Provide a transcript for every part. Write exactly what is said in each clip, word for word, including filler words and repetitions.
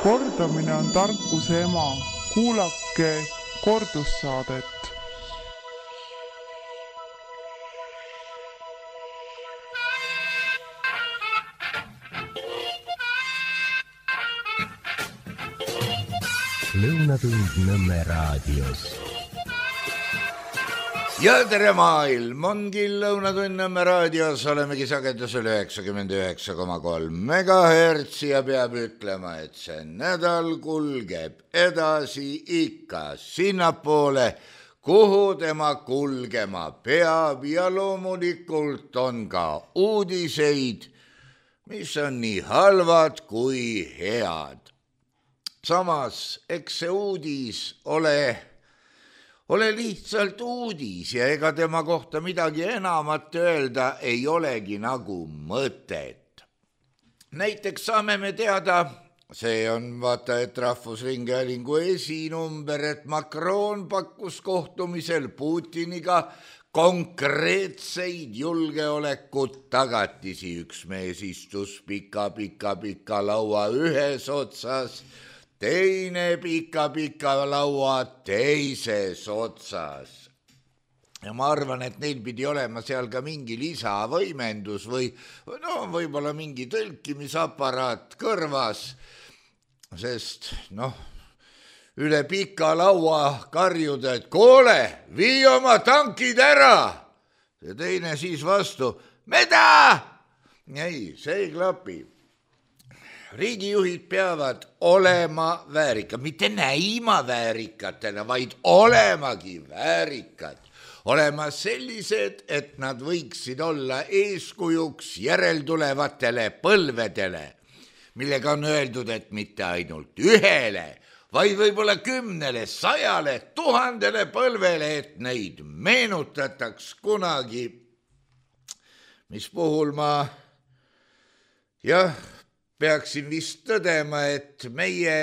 Kordamine on tarkuse ema. Kuulake kordussaadet. Lõunatund Nõmme raadios. Ja tere maailm, ongi Lõunatund Nõmme raadios, olemegi sagedusel üheksakümmend üheksa koma kolm megahertsi ja peab ütlema, et see nädal kulgeb edasi ikka sinnapoole, kuhu tema kulgema peab ja loomulikult on ka uudiseid, mis on nii halvad kui head. Samas, eks see uudis ole, ole lihtsalt uudis ja ega tema kohta midagi enamat öelda ei olegi nagu mõtet. Näiteks saame me teada, see on vaata, et Rahvusringhäälingu esinumber, et Macron pakkus kohtumisel Putiniga konkreetseid julgeolekut tagatisi. Üks mees istus pika, pika, pika laua ühes otsas, teine pika-pika laua teises otsas. Ja ma arvan, et neil pidi olema seal ka mingi lisavõimendus või no, võib-olla mingi tõlkimisaparaat kõrvas, sest noh, üle pika laua karjuda, et koole, vii oma tankid ära. Ja teine siis vastu, mida? Ei, see ei klapi. Riigijuhid peavad olema väärikad, mitte näima väärikatena, vaid olemagi väärikad. Olema sellised, et nad võiksid olla eeskujuks järeltulevatele põlvedele, millega on öeldud, et mitte ainult ühele, vaid võib-olla kümnele, sajale, tuhandele põlvele, et neid meenutataks kunagi, mis puhul ma jah, peaksin vist tõdema, et meie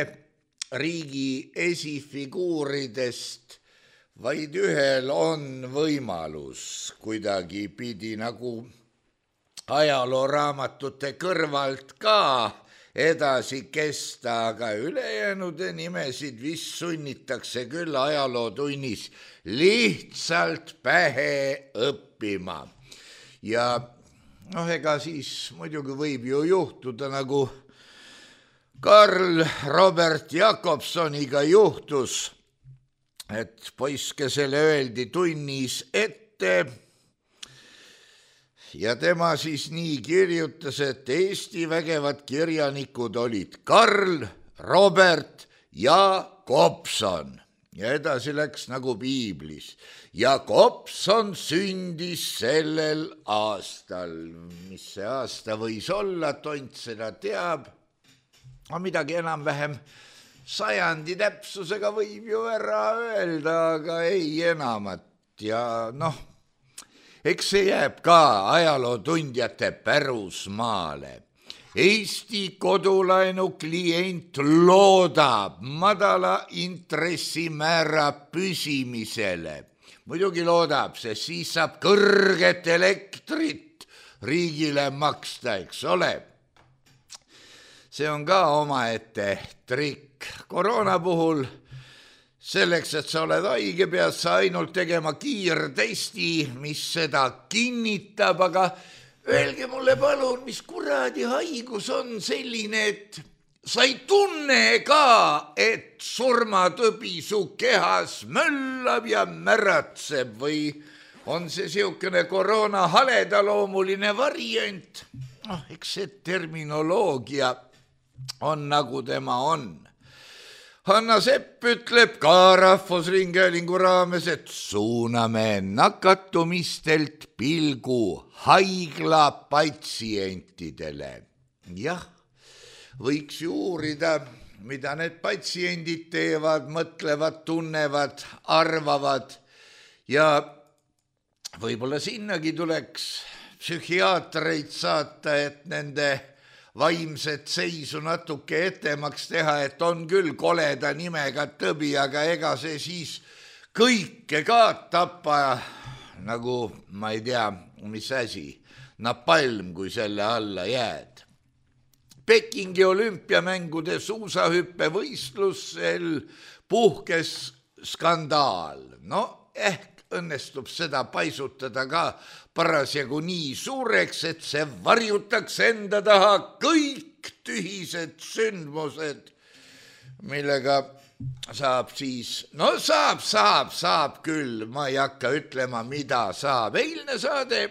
riigi esifiguuridest vaid ühel on võimalus kuidagi pidi nagu ajalooraamatute kõrvalt ka edasi kesta, aga ülejäänude nimesid vist sunnitakse küll ajalootunnis lihtsalt pähe õppima. Ja noh, ega siis muidugi võib ju juhtuda, nagu Karl Robert Jakobsoniga juhtus, et poiskesele öeldi tunnis ette ja tema siis nii kirjutas, et Eesti vägevad kirjanikud olid Karl, Robert ja Kobson. Ja edasi läks nagu piiblis. Ja Kobson sündis sellel aastal. Mis see aasta võis olla, tont seda teab. No midagi enam-vähem sajandi täpsusega võib ju ära öelda, aga ei enamat. Ja noh, eks see jääb ka ajalootundjate pärusmaale. Eesti kodulaenu klient loodab madala intressimäära püsimisele. Muidugi loodab, sest siis saab kõrget elektrit riigile maksta, eks ole. See on ka omaette trikk. Koroona puhul selleks, et sa oled haige, pead sa ainult tegema kiirtesti, mis seda kinnitab, aga öelge mulle palun, mis kuradi haigus on selline, et sa ei tunne ka, et surmatõbi su kehas möllab ja märatseb või on see siukene koroona haledaloomuline variant. Oh, eks see terminoloogia on nagu tema on. Hanna Sepp ütleb ka Rahvusringhäälingu raames, et suuname nakatumistelt pilgu haigla patsientidele. Jah, võiks ju uurida, mida need patsiendid teevad, mõtlevad, tunnevad, arvavad ja võib-olla sinnagi tuleks psühhiaatreid saata, et nende vaimset seisu natuke etemaks teha, et on küll koleda nimega tõbi, aga ega see siis kõike ka tapa, nagu ma ei tea, mis asi, napalm, kui selle alla jääd. Pekingi olümpiamängude suusahüppevõistlusel puhkes skandaal. No ehk õnnestub seda paisutada ka parasjagu nii suureks, et see varjutaks enda taha kõik tühised sündmused, millega saab siis, no saab, saab, saab küll, ma ei hakka ütlema, mida saab. Eilne saade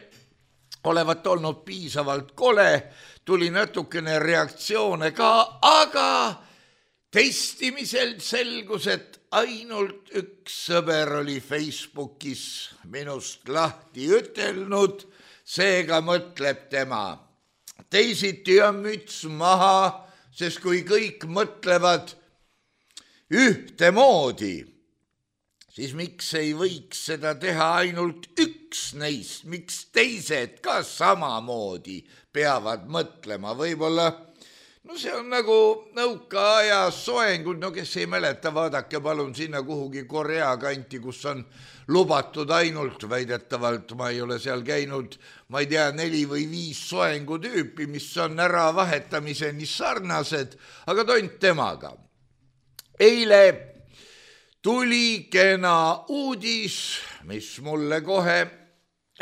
olevat olnud piisavalt kole, tuli natukene reaktsioone ka, aga testimisel selgus, et ainult üks sõber oli Facebookis minust lahti ütelnud, seega mõtleb tema. Teisiti on müts maha, sest kui kõik mõtlevad ühtemoodi, siis miks ei võiks seda teha ainult üks neist, miks teised ka samamoodi peavad mõtlema, võib-olla, no see on nagu nõukaaja soengud, no kes ei mäleta, vaadake palun sinna kuhugi Korea kanti, kus on lubatud ainult väidetavalt, ma ei ole seal käinud, ma ei tea, neli või viis soengutüüpi, mis on ära vahetamiseni sarnased, aga tont temaga. Eile tuli kena uudis, mis mulle kohe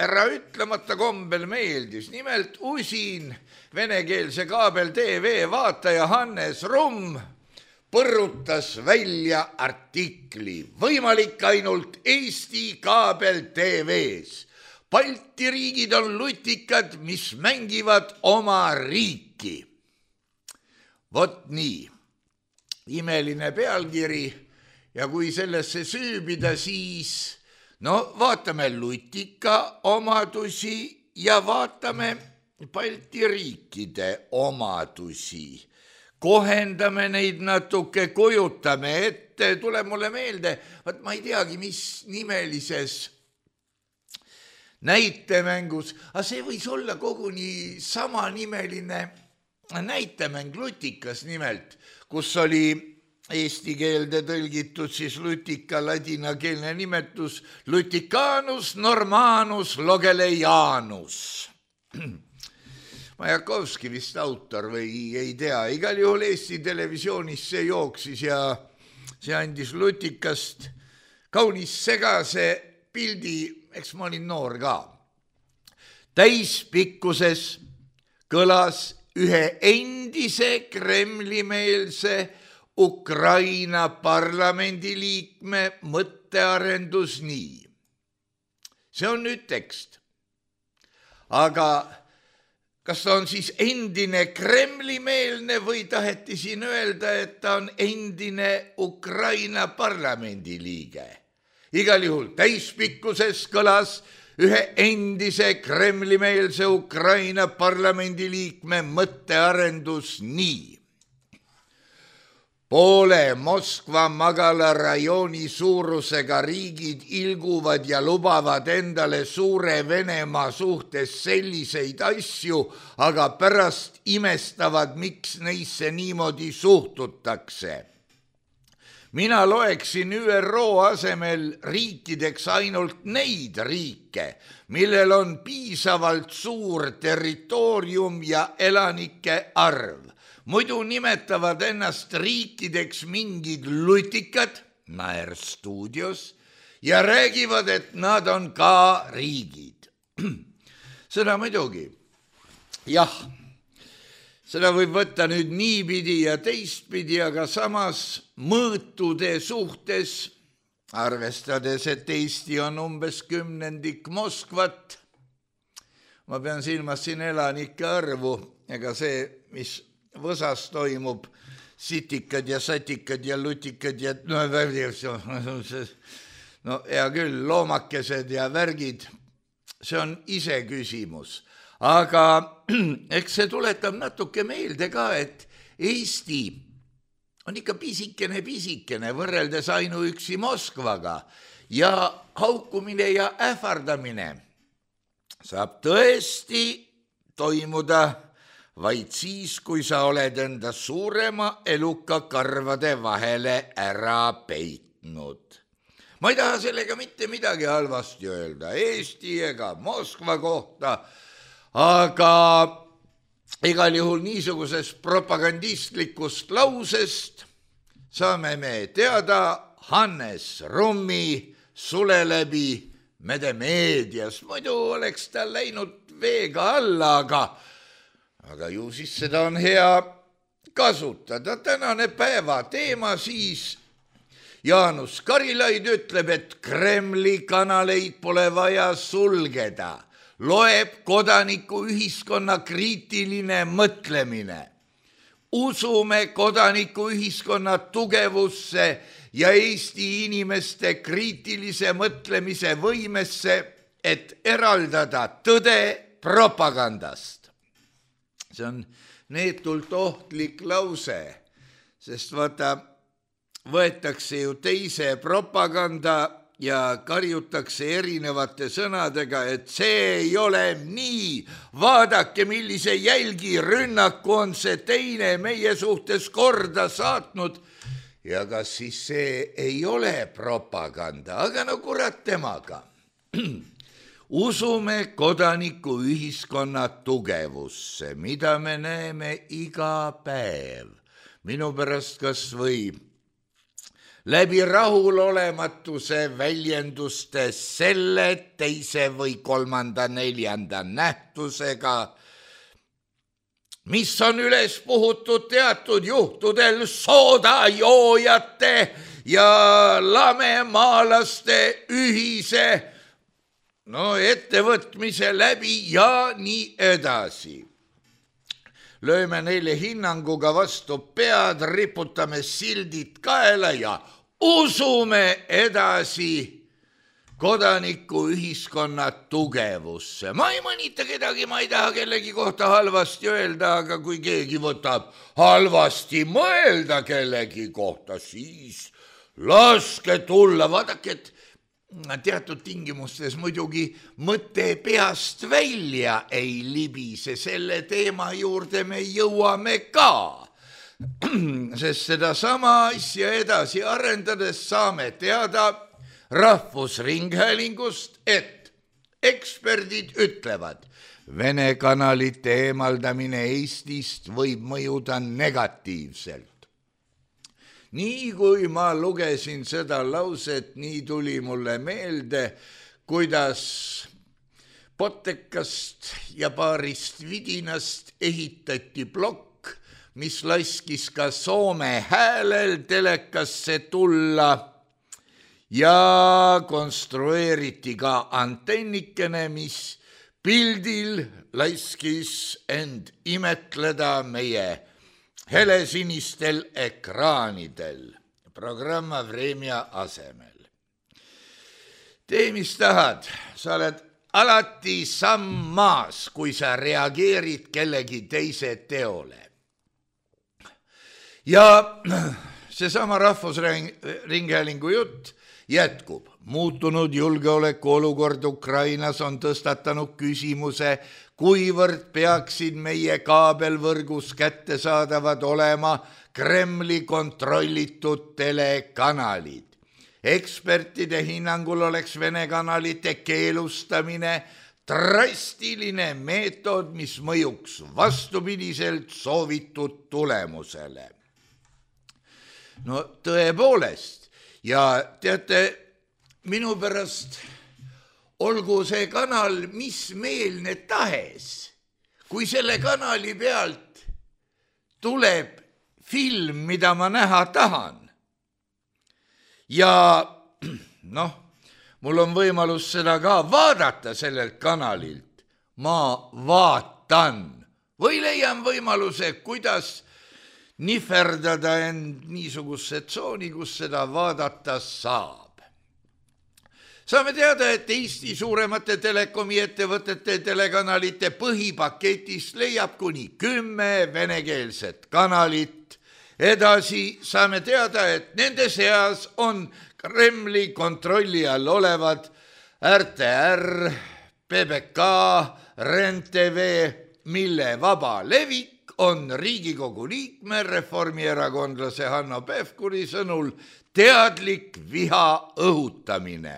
ära ütlemata kombel meeldis. Nimelt usin venekeelse kaabel T V vaataja Hannes Rumm põrutas välja artikli. Võimalik ainult Eesti kaabel T V-s. Balti riigid on lutikad, mis mängivad oma riiki. Vot nii. Imeline pealkiri ja kui sellesse süübida, siis no vaatame lutika omadusi ja vaatame Balti riikide omadusi. Kohendame neid natuke, kujutame ette, tule mulle meelde, vaat ma ei teagi, mis nimelises näitemängus, aga see võis olla koguni samanimeline näitemäng lutikas nimelt, kus oli eesti keelde tõlgitud siis lutika ladinakeelne nimetus Luticanus Normanus Logelejanus. Majakovski vist autor või ei tea, igal juhul Eesti televisioonis see jooksis ja see andis lutikast kaunis segase pildi, eks ma olin noor ka. Täispikkuses kõlas ühe endise Kremli-meelse Ukraina parlamendiliikme mõttearendus nii. See on nüüd tekst. Aga kas ta on siis endine Kremli-meelne või taheti siin öelda, et ta on endine Ukraina parlamendiliige? Igal juhul täispikkuses kõlas ühe endise Kremli-meelse Ukraina parlamendiliikme mõttearendus nii. Poole Moskva magala rajooni suurusega riigid ilguvad ja lubavad endale suure Venemaa suhtes selliseid asju, aga pärast imestavad, miks neisse niimoodi suhtutakse. Mina loeksin Ü R O asemel riikideks ainult neid riike, millel on piisavalt suur territoorium ja elanike arv. Muidu nimetavad ennast riikideks mingid lutikad, Naer stuudios, ja räägivad, et nad on ka riigid. Seda muidugi, jah, seda võib võtta nüüd niipidi ja teistpidi, aga samas mõõtude suhtes, arvestades, et Eesti on umbes kümnendik Moskvat, ma pean silmas siin elanike arvu, ega see, mis Võsas toimub, sitikad ja satikad ja lutikad ja no, no hea küll, loomakesed ja värgid, see on ise küsimus. Aga eks see tuletab natuke meelde ka, et Eesti on ikka pisikene, pisikene võrreldes ainuüksi Moskvaga ja haukumine ja ähvardamine saab tõesti toimuda vaid siis, kui sa oled enda suurema eluka karvade vahele ära peitnud. Ma ei taha sellega mitte midagi halvasti öelda Eesti ega Moskva kohta, aga igal juhul niisugusest propagandistlikust lausest saame me teada Hannes Rummi sule läbi medemeedias. Muidu oleks ta läinud veega alla, aga, aga ju siis seda on hea kasutada. Tänane päeva teema siis Jaanus Karilaid ütleb, et Kremli kanaleid pole vaja sulgeda. Loeb kodanikuühiskonna kriitiline mõtlemine. Usume kodanikuühiskonna tugevusse ja Eesti inimeste kriitilise mõtlemise võimesse, et eraldada tõde propagandast. See on neetult ohtlik lause, sest vaata, võetakse ju teise propaganda ja karjutakse erinevate sõnadega, et see ei ole nii. Vaadake, millise jälgi rünnaku on see teine meie suhtes korda saatnud. Ja kas siis see ei ole propaganda, aga no kurat temaga. Usume kodanikuühiskonna tugevusse, mida me näeme iga päev. Minu pärast kas või läbi rahulolematuse väljenduste selle teise või kolmanda neljanda nähtusega, mis on üles puhutud teatud juhtudel soodajoojate ja lamemaalaste ühise no, ettevõtmise läbi ja nii edasi. Lööme neile hinnanguga vastu pead, riputame sildid kaela ja usume edasi kodanikuühiskonna tugevusse. Ma ei mõnita kedagi, ma ei taha kellegi kohta halvasti öelda, aga kui keegi võtab halvasti mõelda kellegi kohta, siis laske tulla. Vaadake, et teatud tingimustes muidugi mõte peast välja ei libise, selle teema juurde me jõuame ka. Sest seda sama asja edasi arendades saame teada Rahvusringhäälingust, et eksperdid ütlevad, Vene kanalite eemaldamine Eestist võib mõjuda negatiivselt. Nii kui ma lugesin seda lauset, nii tuli mulle meelde, kuidas Potekast ja paarist vidinast ehitati plokk, mis laskis ka Soome häälel telekasse tulla ja konstrueeriti ka antennikene, mis pildil laskis end imetleda meie helesinistel ekraanidel programma Vremja asemel. Tee, mis tahad, sa oled alati samm maas, kui sa reageerid kellegi teise teole. Ja seesama Rahvusringhäälingu jutt jätkub. Muutunud julgeolekuolukord Ukrainas on tõstatanud küsimuse, kuivõrd peaksid meie kaabelvõrgus kättesaadavad olema Kremli kontrollitud telekanalid. Ekspertide hinnangul oleks Vene kanalite keelustamine drastiline meetod, mis mõjuks vastupidiselt soovitud tulemusele. No tõepoolest, ja teate, minu pärast olgu see kanal mis meelne tahes, kui selle kanali pealt tuleb film, mida ma näha tahan. Ja noh, mul on võimalus seda ka vaadata sellelt kanalilt. Ma vaatan või leian võimaluse, kuidas nihverdada end niisuguse tsooni, kus seda vaadata saab. Saame teada, et Eesti suuremate telekomi ettevõtete telekanalite põhipaketist leiab kuni kümme venekeelset kanalit. Edasi saame teada, et nende seas on Kremli kontrolli all olevad R T R, P B K, R E N T V, mille vaba levik on Riigikogu liikme reformierakondlase Hanno Pevkuri sõnul teadlik viha õhutamine.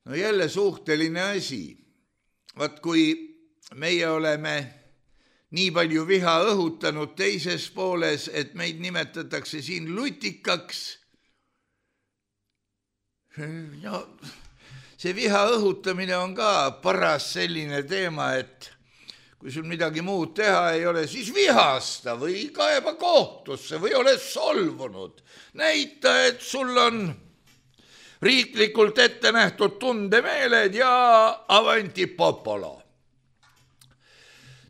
No jälle suhteline asi. Vaat kui meie oleme nii palju viha õhutanud teises pooles, et meid nimetatakse siin lutikaks. No, see viha õhutamine on ka paras selline teema, et kui sul midagi muud teha ei ole, siis vihasta või kaeba kohtusse või ole solvunud. Näita, et sul on riiklikult ette nähtud tundemeeled ja avanti popolo.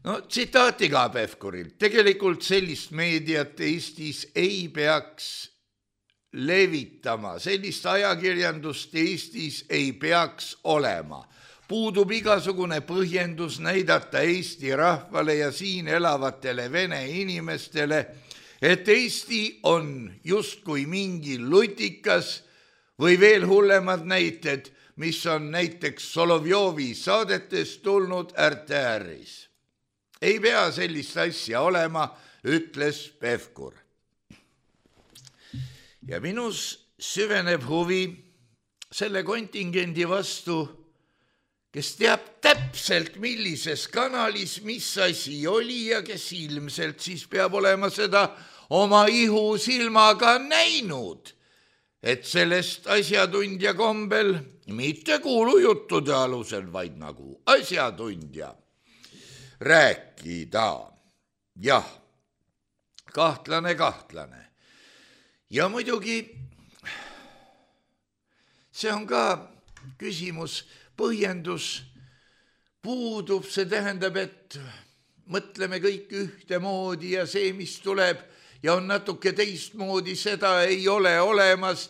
No tsitaati ka Pevkurilt. Tegelikult sellist meediat Eestis ei peaks levitama. Sellist ajakirjandust Eestis ei peaks olema. Puudub igasugune põhjendus näidata Eesti rahvale ja siin elavatele vene inimestele, et Eesti on justkui mingi lutikas või veel hullemad näited, mis on näiteks Solovjovi saadetest tulnud R T R-is. Ei pea sellist asja olema, ütles Pevkur. Ja minus süveneb huvi selle kontingendi vastu, kes teab täpselt, millises kanalis mis asi oli ja kes ilmselt siis peab olema seda oma ihu silmaga näinud, et sellest asjatundja kombel, mitte kuulujuttude alusel, vaid nagu asjatundja, rääkida. Jah, kahtlane, kahtlane. Ja muidugi see on ka küsimus, põhjendus puudub, see tähendab, et mõtleme kõik ühtemoodi ja see, mis tuleb ja on natuke teistmoodi, seda ei ole olemas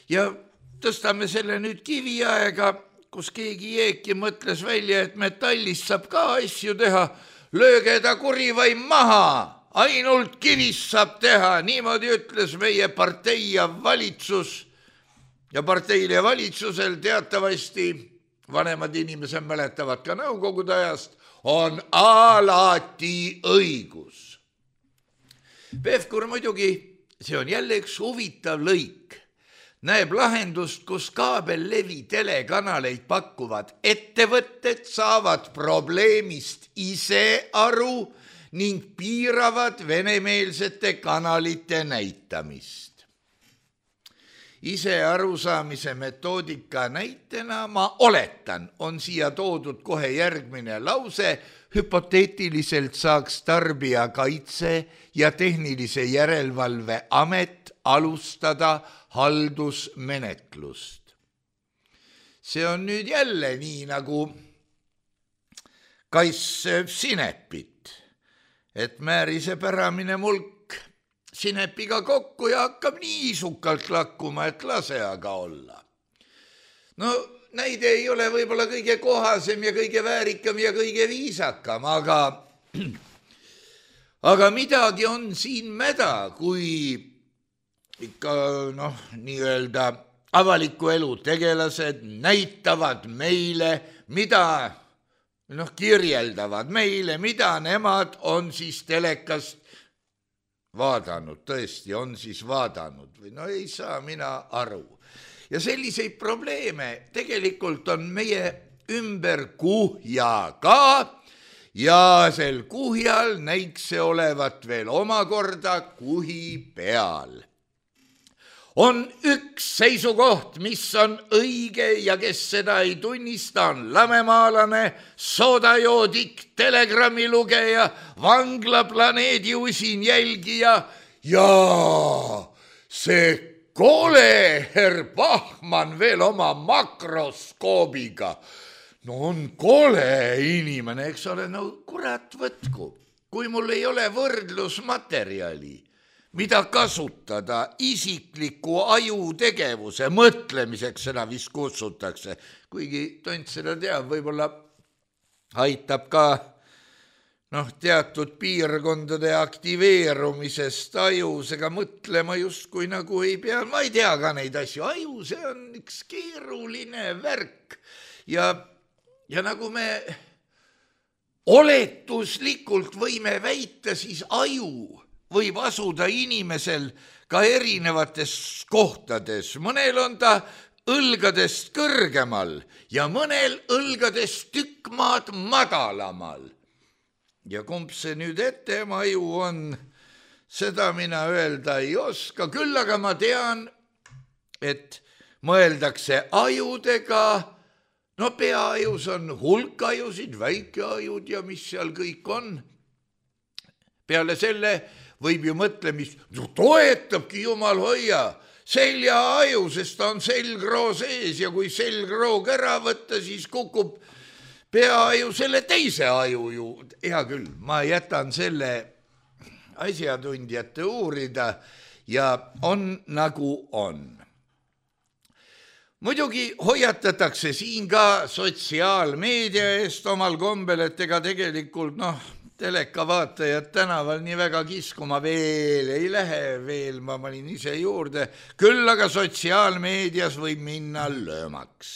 ja tõstame selle nüüd kiviaega, kus keegi jeeki mõtles välja, et metallist saab ka asju teha, lööge ta kurivaim maha, ainult kivist saab teha, niimoodi ütles meie partei ja valitsus ja parteil ja valitsusel teatavasti, vanemad inimesed mäletavad ka nõukogude ajast, on alati õigus. Pevkur muidugi, see on jälle üks huvitav lõik, näeb lahendust, kus kaabellevi telekanaleid pakkuvad ettevõtted saavad probleemist ise aru ning piiravad venemeelsete kanalite näitamist. Ise arusaamise metoodika näitena, ma oletan, on siia toodud kohe järgmine lause, hüpoteetiliselt saaks tarbijakaitse ja tehnilise järelevalve amet alustada haldusmenetlust. See on nüüd jälle nii nagu kass sööb sinepit, et määrise päramine mulk sinepiga kokku ja hakkab niisukalt lakkuma, et lase aga olla. No näide ei ole võib-olla kõige kohasem ja kõige väärikam ja kõige viisakam, aga, aga midagi on siin mäda, kui ikka noh, nii-öelda avaliku elu tegelased näitavad meile, mida noh, kirjeldavad meile, mida nemad on siis telekast vaadanud, tõesti on siis vaadanud või no ei saa mina aru. Ja selliseid probleeme tegelikult on meie ümber kuhja ka ja sel kuhjal näiks see olevat veel omakorda kuhi peal. On üks seisukoht, mis on õige ja kes seda ei tunnista, on lamemaalane, soodajoodik, telegrammi lugeja, vanglaplaneedi usin jälgija ja see kole herr Bachmann veel oma makroskoobiga. No on kole inimene, eks ole, no kurat võtku, kui mul ei ole võrdlusmaterjali, mida kasutada isikliku ajutegevuse mõtlemiseks, seda vist kutsutakse. Kuigi tont seda teab, võib-olla aitab ka noh, teatud piirkondade aktiveerumisest ajus, ega mõtlema justkui nagu ei pea. Ma ei tea ka neid asju. Aju, see on üks keeruline värk. Ja, ja nagu me oletuslikult võime väita, siis aju võib asuda inimesel ka erinevates kohtades. Mõnel on ta õlgadest kõrgemal ja mõnel õlgadest tükk maad madalamal. ja kumb see nüüd ettema aju on, seda mina öelda ei oska, küll aga ma tean, et mõeldakse ajudega, no peaajus on hulk ajusid, väikeajud ja mis seal kõik on. Peale selle võib ju mõtlemist, no toetabki jumal hoia, seljaaju, sest ta on selgroo sees ja kui selgroog ära võtta, siis kukub peaaju selle teise aju juurde. Hea küll, ma jätan selle asjatundjate uurida ja on nagu on. Muidugi hoiatatakse siin ka sotsiaalmeedia eest omal kombel, et ega tegelikult noh, telekavaatajad tänaval nii väga kiskuma veel ei lähe, veel ma olin ise juurde, küll aga sotsiaalmeedias võib minna löömaks,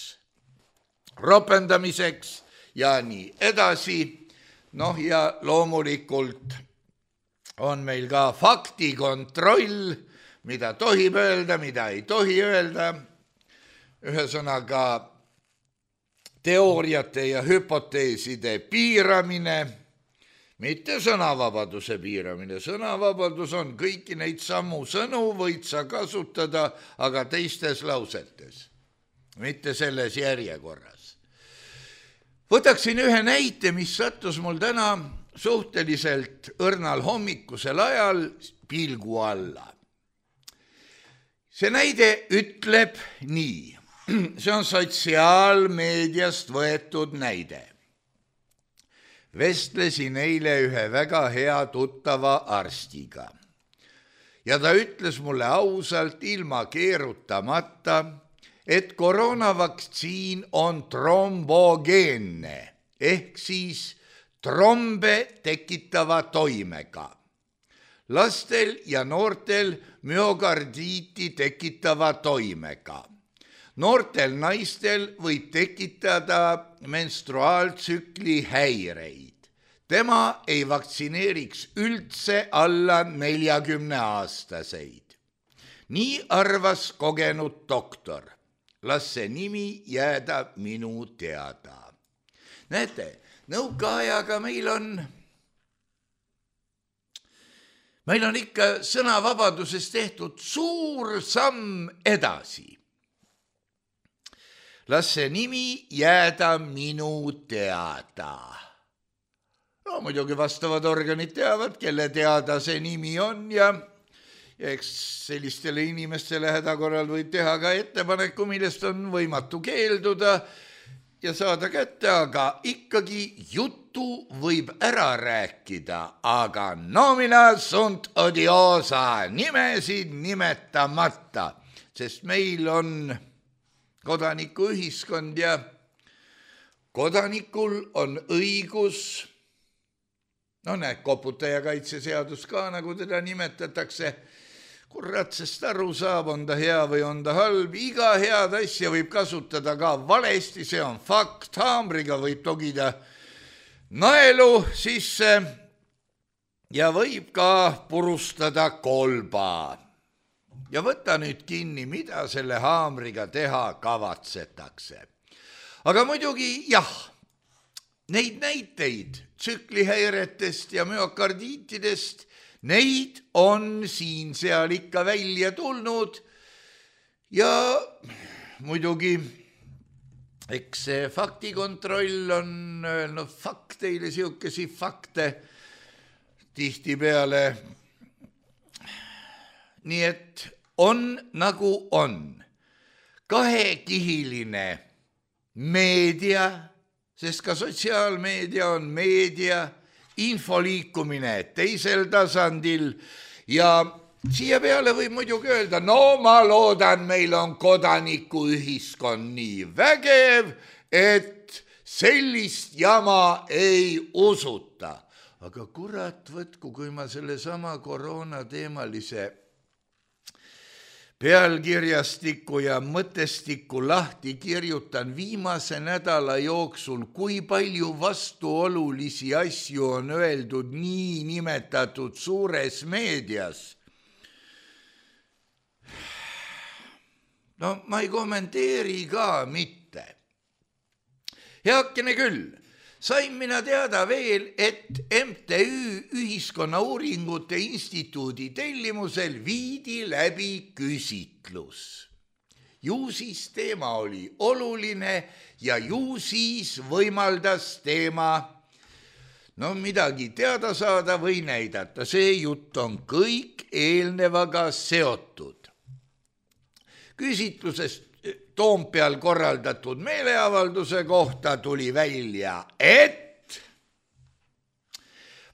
ropendamiseks ja nii edasi. Noh ja loomulikult on meil ka faktikontroll, mida tohib öelda, mida ei tohi öelda. Ühesõnaga teooriate ja hüpoteeside piiramine, mitte sõnavabaduse piiramine. Sõnavabadus on kõiki neid samu sõnu võid sa kasutada, aga teistes lausetes, mitte selles järjekorras. Võtaksin ühe näite, mis sattus mul täna suhteliselt õrnal hommikusel ajal pilgu alla. See näide ütleb nii. See on sotsiaalmeediast võetud näide. Vestlesin eile ühe väga hea tuttava arstiga ja ta ütles mulle ausalt ilma keerutamata, et koroonavaktsiin on trombogeenne ehk siis trombe tekitava toimega. Lastel ja noortel myokardiiti tekitava toimega. Noortel naistel võib tekitada menstruaaltsükli häireid. Tema ei vaktsineeriks üldse alla neljakümne aastaseid. Nii arvas kogenud doktor. Las see nimi jääda minu teada. Näete, nõukaajaga meil on, meil on ikka sõnavabadusest tehtud suur samm edasi. Las see nimi jääda minu teada. No muidugi vastavad organid teavad, kelle teada see nimi on ja, ja eks sellistele inimestele hädakorral võib teha ka ettepaneku, millest on võimatu keelduda ja saada kätte, aga ikkagi juttu võib ära rääkida, aga nomina sunt odiosa, nimesid nimetamata, sest meil on kodanikuühiskond ja kodanikul on õigus, no näed, koputajakaitseseadus ka, nagu teda nimetatakse, kurat, sest aru saab, on ta hea või on ta halb, iga head asja võib kasutada ka valesti, see on fakt, haamriga võib togida naelu sisse ja võib ka purustada kolba. Ja võta nüüd kinni, mida selle haamriga teha kavatsetakse. Aga muidugi jah, neid näiteid tsüklihäiretest ja myokardiitidest, neid on siin seal ikka välja tulnud ja muidugi eks see faktikontroll on öelnud fakteile siukesi fakte tihtipeale. Nii et on nagu on kahekihiline meedia, sest ka sotsiaalmeedia on meedia, infoliikumine teisel tasandil ja siia peale võib muidugi öelda, no ma loodan, meil on kodanikuühiskond nii vägev, et sellist jama ei usuta. Aga kurat võtku, kui ma selle sama koroonateemalise pealkirjastiku ja mõtestiku lahti kirjutan viimase nädala jooksul, kui palju vastuolulisi asju on öeldud nii nimetatud suures meedias. No ma ei kommenteeri ka mitte. Heakene küll, sain mina teada veel, et M T Ü Ühiskonnauuringute Instituudi tellimusel viidi läbi küsitlus. Ju siis teema oli oluline ja ju siis võimaldas teema no midagi teada saada või näidata. See jutt on kõik eelnevaga seotud. Küsitlusest Toompeal korraldatud meeleavalduse kohta tuli välja, et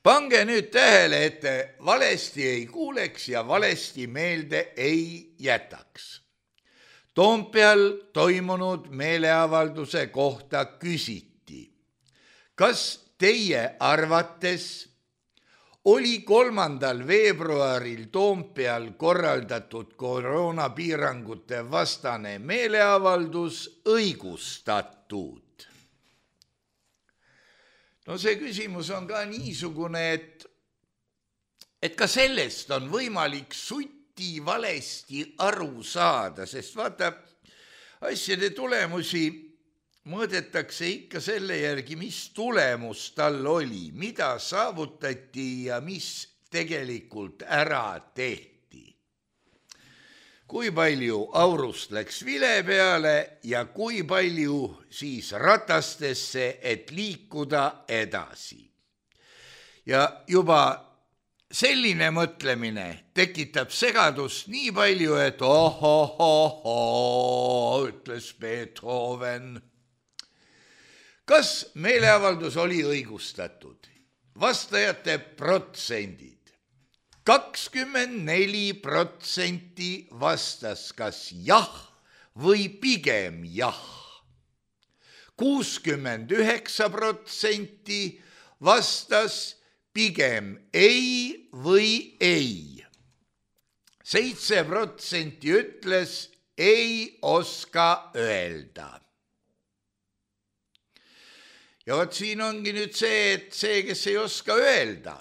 pange nüüd tähele, et te valesti ei kuuleks ja valesti meelde ei jätaks. Toompeal toimunud meeleavalduse kohta küsiti, kas teie arvates oli kolmandal veebruaril Toompeal korraldatud koroonapiirangute vastane meeleavaldus õigustatud? No see küsimus on ka niisugune, et, et ka sellest on võimalik suti valesti aru saada, sest vaata, asjade tulemusi mõõdetakse ikka selle järgi, mis tulemus tal oli, mida saavutati ja mis tegelikult ära tehti. Kui palju aurust läks vile peale ja kui palju siis ratastesse, et liikuda edasi. Ja juba selline mõtlemine tekitab segadust nii palju, et ohohoho, ütles Beethoven. Kas meeleavaldus oli õigustatud? Vastajate protsendid. kakskümmend neli protsenti vastas kas jah või pigem jah. kuuskümmend üheksa protsenti vastas pigem ei või ei. seitse protsenti ütles ei oska öelda. Ja vot siin ongi nüüd see, et see, kes ei oska öelda,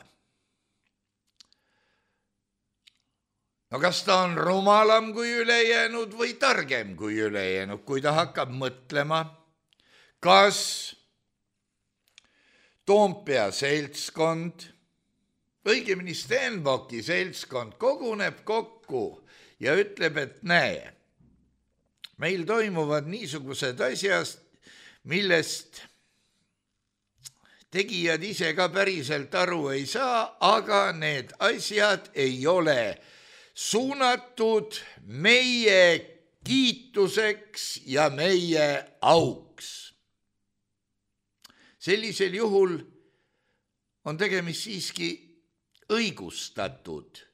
no kas ta on rumalam kui ülejäänud või targem kui ülejäänud, kui ta hakkab mõtlema, kas Toompea seltskond, õigemini Stenbocki seltskond koguneb kokku ja ütleb, et näe, meil toimuvad niisugused asjad, millest tegijad ise ka päriselt aru ei saa, aga need asjad ei ole suunatud meie kiituseks ja meie auks. Sellisel juhul on tegemist siiski õigustatud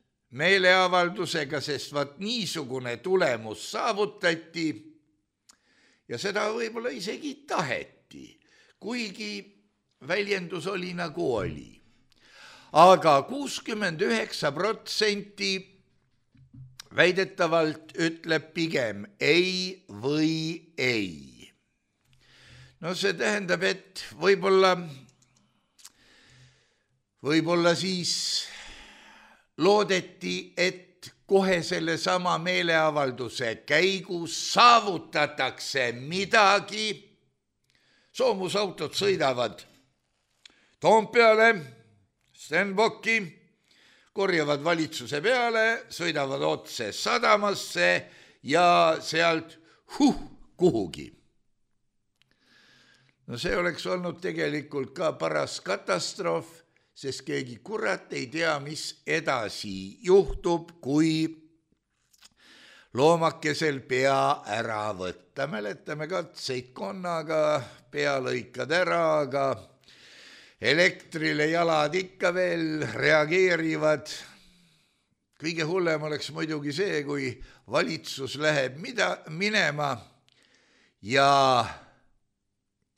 meeleavaldusega, sest vaat niisugune tulemus saavutati ja seda võib-olla isegi taheti, kuigi väljendus oli nagu oli. Aga kuuskümmend üheksa protsenti väidetavalt ütleb pigem ei või ei. No see tähendab, et võib-olla, võib-olla siis loodeti, et kohe selle sama meeleavalduse käigus saavutatakse midagi. Soomusautod sõidavad Toompeale, Stenbocki, korjavad valitsuse peale, sõidavad otse sadamasse ja sealt huh, kuhugi. No see oleks olnud tegelikult ka paras katastroof, sest keegi kurat ei tea, mis edasi juhtub, kui loomakesel pea ära võtta. Mäletame katseid konnaga, pea lõikad ära, aga elektrile jalad ikka veel reageerivad. Kõige hullem oleks muidugi see, kui valitsus läheb mida, minema ja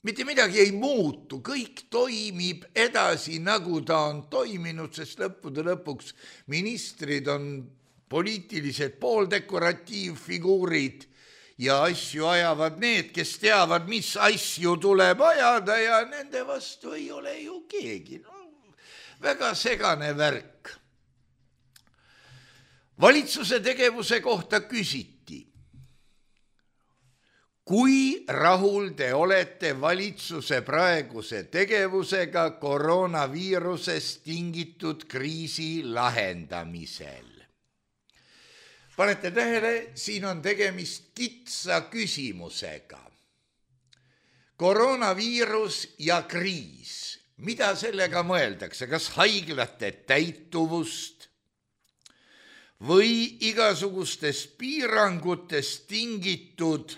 mitte midagi ei muutu, kõik toimib edasi, nagu ta on toiminud, sest lõppude lõpuks ministrid on poliitilised pooldekoratiivfiguurid ja asju ajavad need, kes teavad, mis asju tuleb ajada ja nende vastu ei ole ju keegi. No, väga segane värk. Valitsuse tegevuse kohta küsiti, kui rahul te olete valitsuse praeguse tegevusega koroonaviirusest tingitud kriisi lahendamisel? Panete tähele, siin on tegemist kitsa küsimusega. Koroonaviirus ja kriis. Mida sellega mõeldakse? Kas haiglate täituvust või igasugustest piirangutest tingitud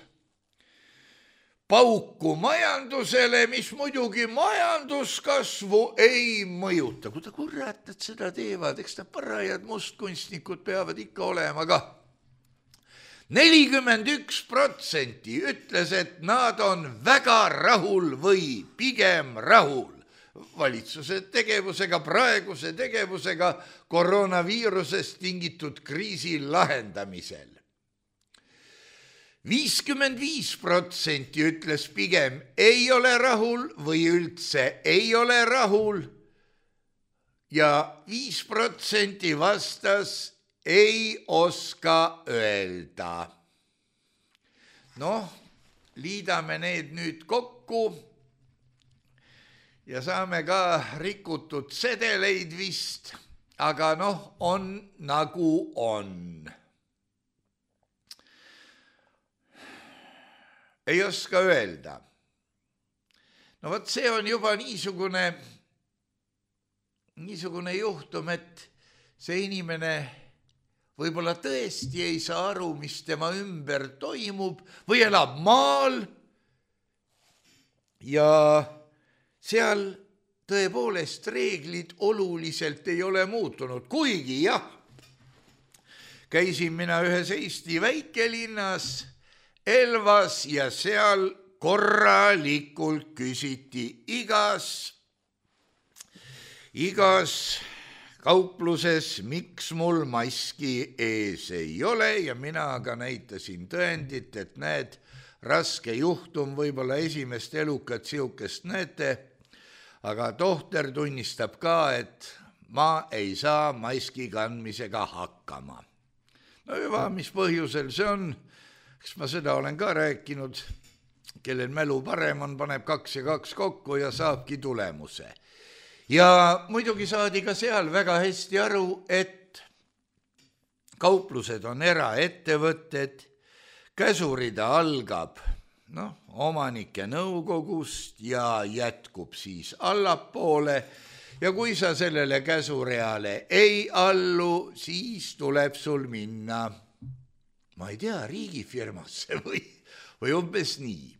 pauku majandusele, mis muidugi majanduskasvu ei mõjuta? Kuida kurat, et seda teevad, eks ta parajad mustkunstnikud peavad ikka olema ka. nelikümmend üks protsenti ütles, et nad on väga rahul või pigem rahul valitsuse tegevusega, praeguse tegevusega koroonaviirusest tingitud kriisi lahendamisel. viiskümmend viis protsenti ütles pigem ei ole rahul või üldse ei ole rahul ja viis protsenti vastas ei oska öelda. Noh, liidame need nüüd kokku ja saame ka rikutud sedeleid vist, aga noh, on nagu on. Ei oska öelda. No vot, see on juba niisugune, niisugune juhtum, et see inimene võib-olla tõesti ei saa aru, mis tema ümber toimub või elab maal ja seal tõepoolest reeglid oluliselt ei ole muutunud, kuigi jah, käisin mina ühes Eesti väikelinnas Elvas ja seal korralikult küsiti igas, igas kaupluses, miks mul maski ees ei ole ja mina aga näitasin tõendit, et näed, raske juhtum, võib-olla esimest elukat siukest näete, aga tohter tunnistab ka, et ma ei saa maski kandmisega hakkama. No juba, mis põhjusel see on, eks ma seda olen ka rääkinud, kellel mälu parem on, paneb kaks ja kaks kokku ja saabki tulemuse. Ja muidugi saadi ka seal väga hästi aru, et kauplused on eraettevõtted, käsurida algab noh, omanike nõukogust ja jätkub siis allapoole ja kui sa sellele käsureale ei allu, siis tuleb sul minna, ma ei tea, riigifirmasse või, või umbes nii.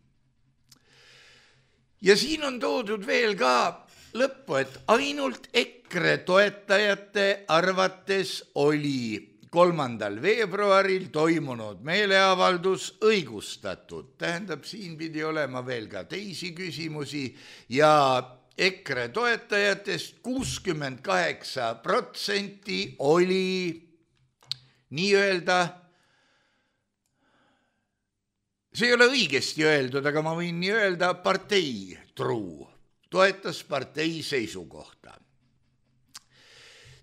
Ja siin on toodud veel ka lõppu, et ainult EKRE toetajate arvates oli kolmandal veebruaril toimunud meeleavaldus õigustatud. Tähendab, siin pidi olema veel ka teisi küsimusi ja EKRE toetajatest kuuskümmend kaheksa protsenti oli nii-öelda, see ei ole õigesti öeldud, aga ma võin nii öelda, partei truu, toetas partei seisukohta.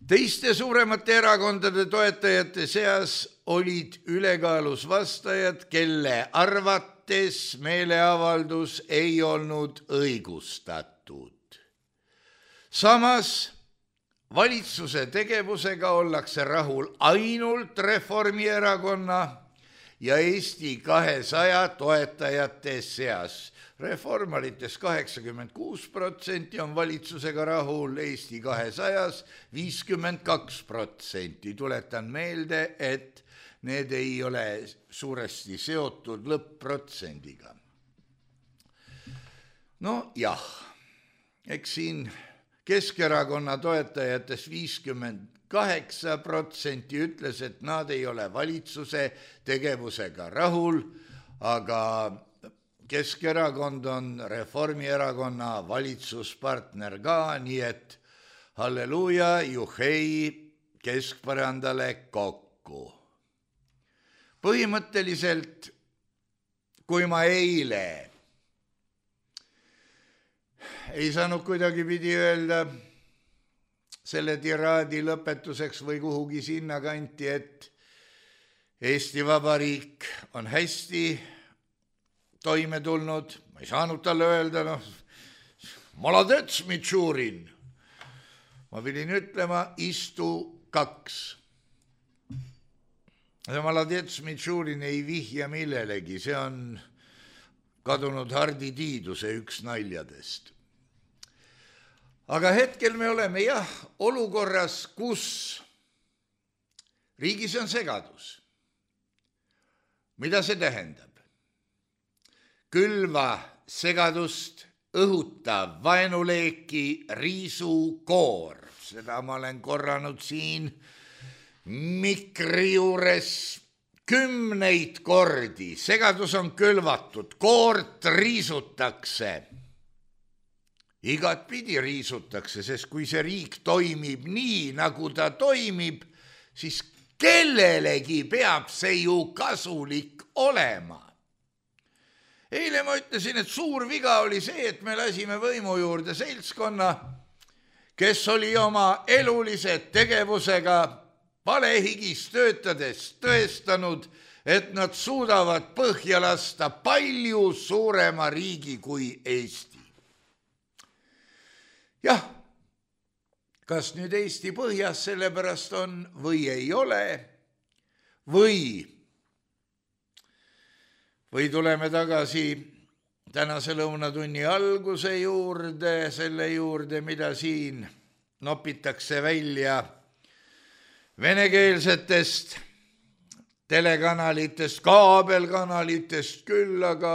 Teiste suuremate erakondade toetajate seas olid ülekaalus vastajad, kelle arvates meeleavaldus ei olnud õigustatud. Samas valitsuse tegevusega ollakse rahul ainult Reformierakonna ja Eesti kahesaja toetajate seas. Reformarites kaheksakümmend kuus protsenti on valitsusega rahul, Eesti kahesajas viiskümmend kaks protsenti. Tuletan meelde, et need ei ole suuresti seotud lõpp-protsendiga. No jah, eks siin Keskerakonna toetajatest viiskümmend kaheksa protsenti ütles, et nad ei ole valitsuse tegevusega rahul, aga Keskerakond on Reformierakonna valitsuspartner ka, nii et halleluuja, juhei keskpõrandale kokku. Põhimõtteliselt, kui ma eile ei saanud kuidagi pidi öelda selle tiraadi lõpetuseks või kuhugi sinna kanti, et Eesti Vabariik on hästi, toime tulnud, ma ei saanud talle öelda, noh, maladets, Mitšurin. Ma pidin ütlema, istu kaks. Maladets, Mitšurin ei vihja millelegi, see on kadunud Hardi Tiiduse üks naljadest. Aga hetkel me oleme jah olukorras, kus riigis on segadus. Mida see tähendab? Külva segadust õhutav vaenuleeki riisukoor. Seda ma olen korranud siin mikri juures kümneid kordi. Segadus on külvatud, koort riisutakse. Igat pidi riisutakse, sest kui see riik toimib nii, nagu ta toimib, siis kellelegi peab see ju kasulik olema. Eile ma ütlesin, et suur viga oli see, et me lasime võimu juurde seltskonna, kes oli oma elulise tegevusega palehigis töötades tõestanud, et nad suudavad põhja lasta palju suurema riigi kui Eesti. Jah, kas nüüd Eesti põhjas sellepärast on või ei ole, või, või tuleme tagasi tänase lõunatunni alguse juurde, selle juurde, mida siin nopitakse välja venekeelsetest telekanalitest, kaabelkanalitest küll, aga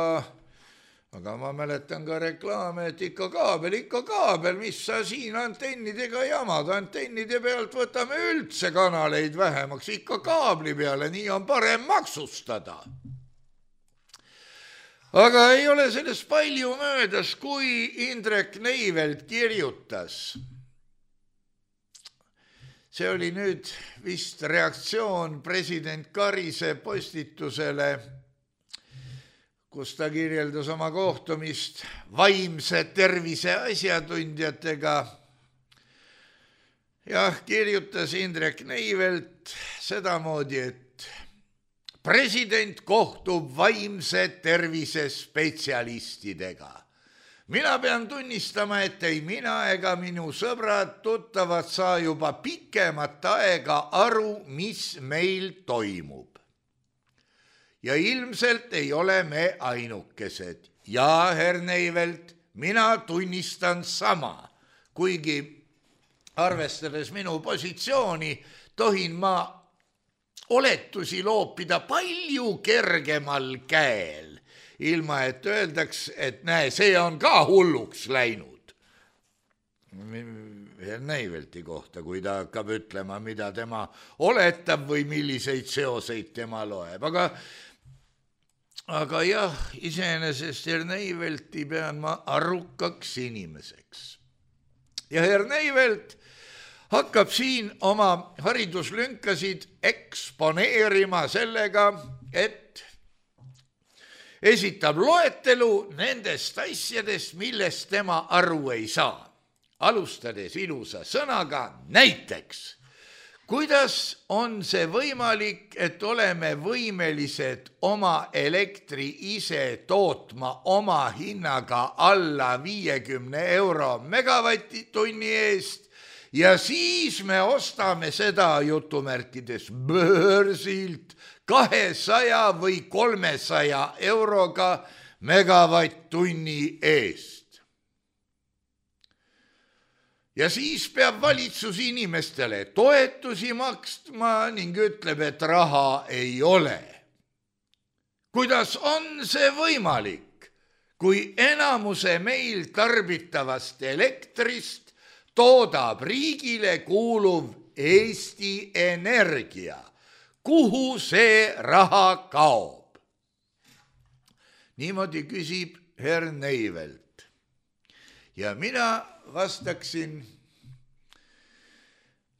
aga ma mäletan ka reklaame, et ikka kaabel, ikka kaabel, mis sa siin antennidega jamad, antennide pealt võtame üldse kanaleid vähemaks, ikka kaabli peale, nii on parem maksustada. Aga ei ole sellest palju möödas, kui Indrek Neivelt kirjutas. See oli nüüd vist reaktsioon president Karise postitusele, kus ta kirjeldas oma kohtumist vaimse tervise asjatundjatega. Jah, kirjutas Indrek Neivelt sedamoodi, et president kohtub vaimse tervise spetsialistidega. Mina pean tunnistama, et ei mina ega minu sõbrad tuttavad saa juba pikemat aega aru, mis meil toimub. Ja ilmselt ei ole me ainukesed. Ja, herr Neivelt, mina tunnistan sama, kuigi arvestades minu positsiooni, tohin ma oletusi loopida palju kergemal käel, ilma et öeldaks, et näe, see on ka hulluks läinud. Herr Neivelti kohta, kui ta hakkab ütlema, mida tema oletab või milliseid seoseid tema loeb. Aga Aga jah, iseenesest herr Neivelti pean ma arukaks inimeseks. Ja herr Neivelt hakkab siin oma hariduslünkasid eksponeerima sellega, et esitab loetelu nendest asjadest, millest tema aru ei saa. Alustades ilusa sõnaga näiteks. Kuidas on see võimalik, et oleme võimelised oma elektri ise tootma oma hinnaga alla viiekümne euro megavatitunni eest ja siis me ostame seda jutumärkides börsilt kahesaja või kolmesaja euroga megavatt-tunni eest. Ja siis peab valitsus inimestele toetusi makstma ning ütleb, et raha ei ole. Kuidas on see võimalik, kui enamuse meil tarbitavast elektrist toodab riigile kuuluv Eesti Energia? Kuhu see raha kaob? Niimoodi küsib herr Neivelt. Ja mina vastaksin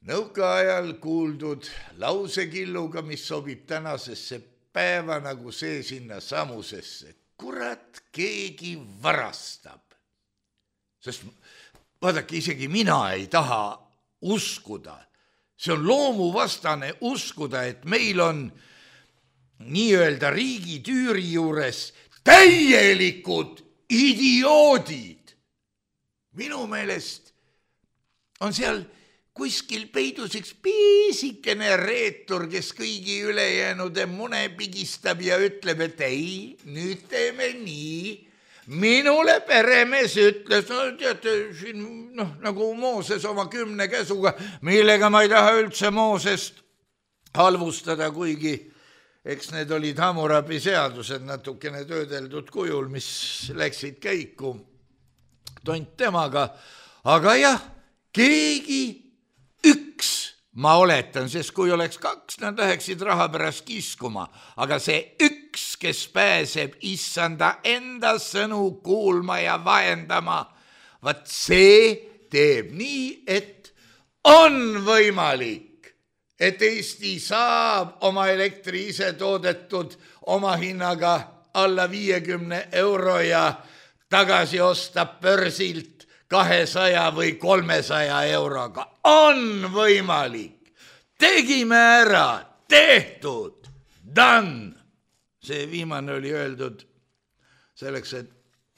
nõukaajal kuuldud lausekilluga, mis sobib tänasesse päeva nagu see sinna samusesse. Kurat, keegi varastab. Sest vaadake, isegi mina ei taha uskuda. See on loomuvastane uskuda, et meil on nii-öelda riigi tüüri juures täielikud idioodid. Minu meelest on seal kuskil peidus üks piisikene reetur, kes kõigi ülejäänud mune pigistab ja ütleb, et ei, nüüd teeme nii. Minule peremees ütles, no teate, siin, noh, nagu Mooses oma kümne käsuga, millega ma ei taha üldse Moosest halvustada, kuigi eks need olid Hammurabi seadused natukene töödeldud kujul, mis läksid käiku tont temaga. Aga jah, keegi üks, ma oletan, sest kui oleks kaks, nad läheksid raha pärast kiskuma, aga see üks, kes pääseb issanda enda sõnu kuulma ja vahendama, vaat see teeb nii, et on võimalik, et Eesti saab oma elektri ise toodetud oma hinnaga alla viiekümne euro ja tagasi osta börsilt kahesaja või kolmesaja euroga. On võimalik. Tegime ära. Tehtud. Done. See viimane oli öeldud selleks, et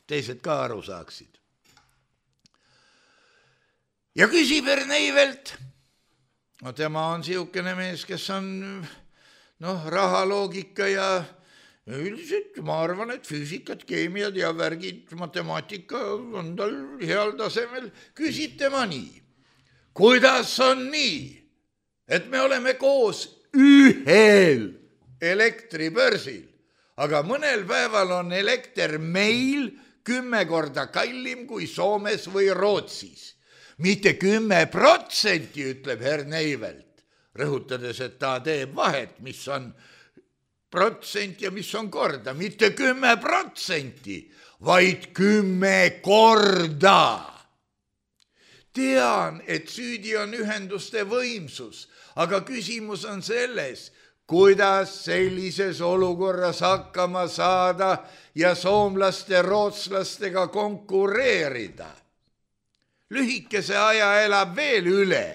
teised ka aru saaksid. Ja küsib Erneivelt. No tema on siukene mees, kes on noh, rahaloogika ja üldiselt ma arvan, et füüsikat, keemiad ja värgid, matemaatika on tal heal tasemel. Küsid tema nii. Kuidas on nii, et me oleme koos ühel elektribörsil, aga mõnel päeval on elekter meil kümme korda kallim kui Soomes või Rootsis. Mitte kümme protsenti, ütleb Erneivelt, rõhutades, et ta teeb vahet, mis on protsent ja mis on korda. Mitte kümme protsenti, vaid kümme korda. Tean, et süüdi on ühenduste võimsus, aga küsimus on selles, kuidas sellises olukorras hakkama saada ja soomlaste rootslastega konkureerida. Lühikese aja elab veel üle,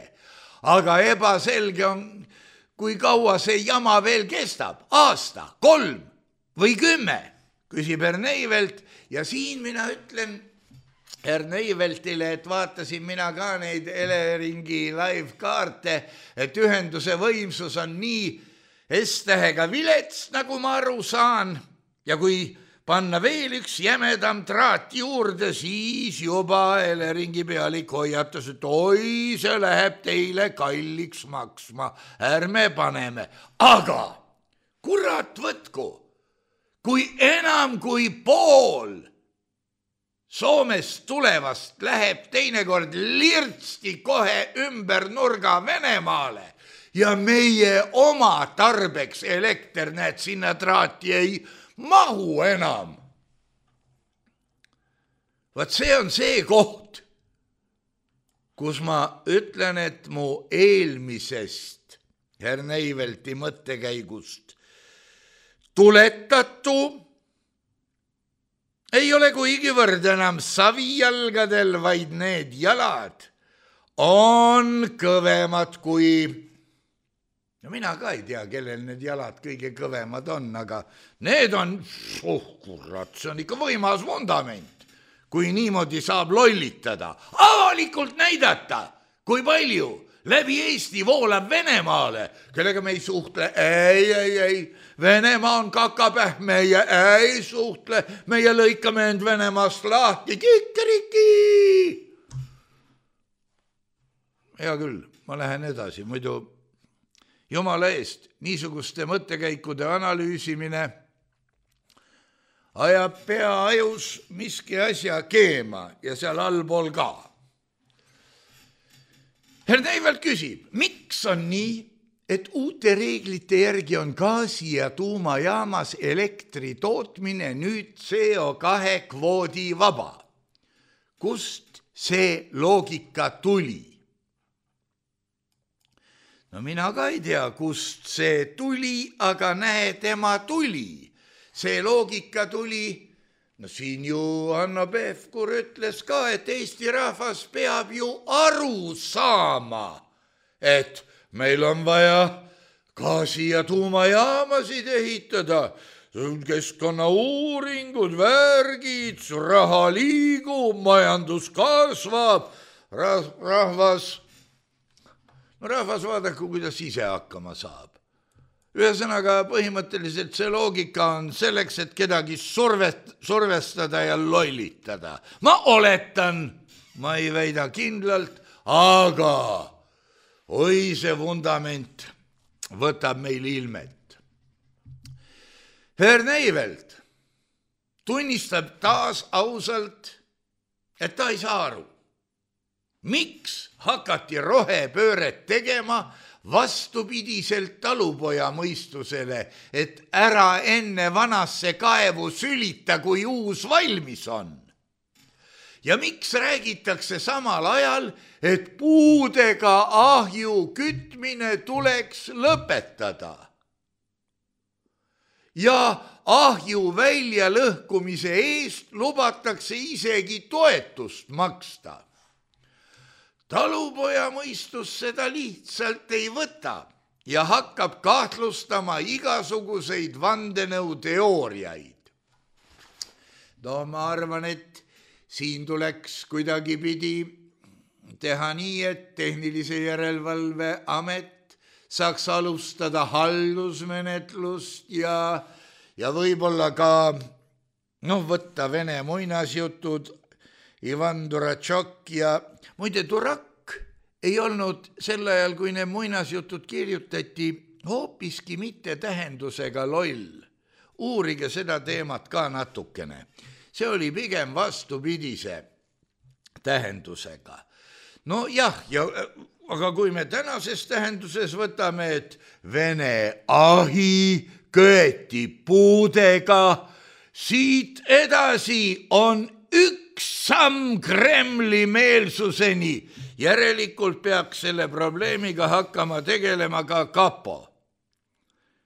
aga ebaselge on, kui kaua see jama veel kestab. Aasta, kolm või kümme, küsib Erneivelt ja siin mina ütlen Erneiveltile, et vaatasin mina ka neid Eleringi live-kaarte, et ühenduse võimsus on nii S-tähega vilets, nagu ma aru saan, ja kui panna veel üks jämedam traat juurde, siis juba Eleringi pealik hoiatas, et oi, see läheb teile kalliks maksma, ärme paneme. Aga kurat võtku, kui enam kui pool Soomest tulevast läheb teinekord lirtsti kohe ümber nurga Venemaale ja meie oma tarbeks elekter, näed, sinna traati ei mahu enam. Vaat see on see koht, kus ma ütlen, et mu eelmisest Erneivelti mõttekäigust tuletatu ei ole kuigivõrd enam savijalgadel, vaid need jalad on kõvemad kui... No mina ka ei tea, kellel need jalad kõige kõvemad on, aga need on, oh kurat, see on ikka võimas vundament, kui niimoodi saab lollitada. Avalikult näidata, kui palju läbi Eesti voolab Venemaale, kellega me ei suhtle. Ei, ei, ei, Venemaa on kakapäh, meie ei suhtle, meie lõikame end Venemaast lahti, kikeriki. Hea küll, ma lähen edasi, muidu jumala eest, niisuguste mõttekäikude analüüsimine ajab pea ajus miski asja keema ja seal allpool ka. Erneivelt küsib, miks on nii, et uute reeglite järgi on gaasi- ja tuumajaamas elektri tootmine nüüd C O kahe kvoodi vaba? Kust see loogika tuli? No mina ka ei tea, kust see tuli, aga näe, tema tuli. See loogika tuli, no siin ju Hanno Pevkur ütles ka, et Eesti rahvas peab ju aru saama, et meil on vaja gaasi- ja tuumajaamasid ehitada, keskkonnauuringud, värgid, raha liigub, majandus kasvab, rahvas, no rahvas vaadaku, kuidas ise hakkama saab. Ühesõnaga põhimõtteliselt see loogika on selleks, et kedagi survest, survestada ja lollitada. Ma oletan, ma ei väida kindlalt, aga oi see vundament võtab meil ilmet. Herr Neivelt tunnistab taas ausalt, et ta ei saa aru, miks hakati rohepööret tegema vastupidiselt talupoja mõistusele, et ära enne vanasse kaevu sülita, kui uus valmis on. Ja miks räägitakse samal ajal, et puudega ahju kütmine tuleks lõpetada? Ja ahju välja lõhkumise eest lubatakse isegi toetust maksta. Talupoja mõistus seda lihtsalt ei võta ja hakkab kahtlustama igasuguseid vandenõuteooriaid. No ma arvan, et siin tuleks kuidagi pidi teha nii, et tehnilise järelevalve amet saaks alustada haldusmenetlust ja, ja võib-olla ka no, võtta vene muinasjutud Ivan Duratšok ja muide Durak ei olnud sel ajal, kui need muinasjutud kirjutati, hoopiski mitte tähendusega loll. Uurige seda teemat ka natukene. See oli pigem vastupidise tähendusega. No jah, ja, aga kui me tänases tähenduses võtame, et vene ahi köeti puudega, siit edasi on üks samm Kremli meelsuseni. Järelikult peaks selle probleemiga hakkama tegelema ka kapo.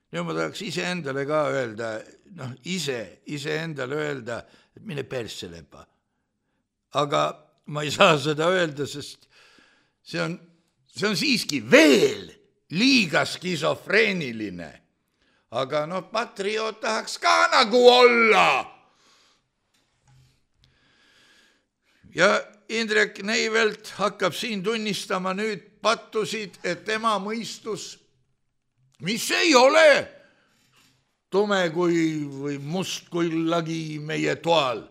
Ja ma tahaks ise endale ka öelda, noh, ise, ise endale öelda, et mine persse lepa. Aga ma ei saa seda öelda, sest see on, see on siiski veel liiga skisofreeniline. Aga no patrioot tahaks ka nagu olla. Ja Indrek Neivelt hakkab siin tunnistama nüüd pattusid, et tema mõistus, mis ei ole tume kui või must kui lagi meie toal,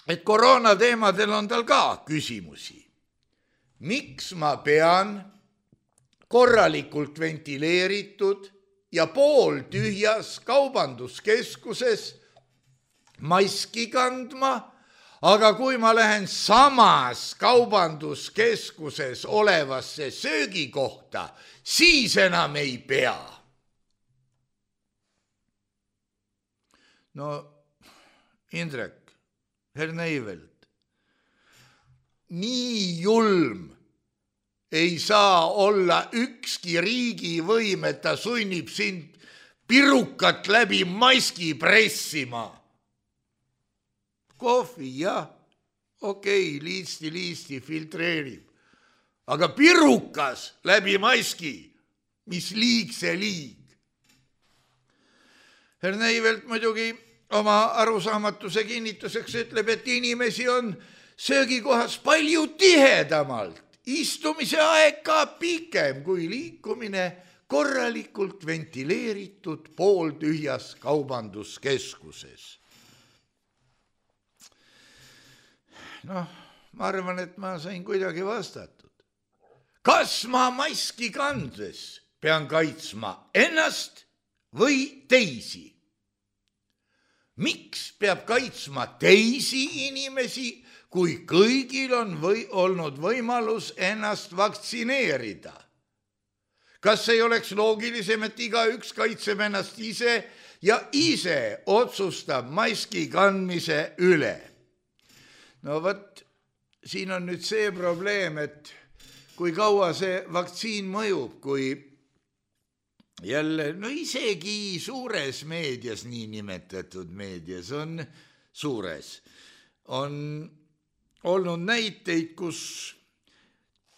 et koroona teemadel on tal ka küsimusi. Miks ma pean korralikult ventileeritud ja pooltühjas kaubanduskeskuses maski kandma, aga kui ma lähen samas kaubanduskeskuses olevasse söögikohta, siis enam ei pea. No, Indrek, Herr Neivelt, nii julm ei saa olla ükski riigivõim, et ta sunnib sind pirukat läbi maski pressima. Kohvi, jah, okei, liisti, liisti, filtreerib. Aga pirukas läbi maski, mis liig see liig. Herr Neivelt muidugi oma arusaamatuse kinnituseks ütleb, et inimesi on söögikohas palju tihedamalt. Istumise aeg ka pikem kui liikumine korralikult ventileeritud pooltühjas kaubanduskeskuses. Noh, ma arvan, et ma sain kuidagi vastatud. Kas ma maski kandes pean kaitsma ennast või teisi? Miks peab kaitsma teisi inimesi, kui kõigil on või olnud võimalus ennast vaktsineerida? Kas ei oleks loogilisem, et igaüks kaitseb ennast ise ja ise otsustab maski kandmise üle? No võt, siin on nüüd see probleem, et kui kaua see vaktsiin mõjub, kui jälle, no isegi suures meedias, nii nimetatud meedias on suures, on olnud näiteid, kus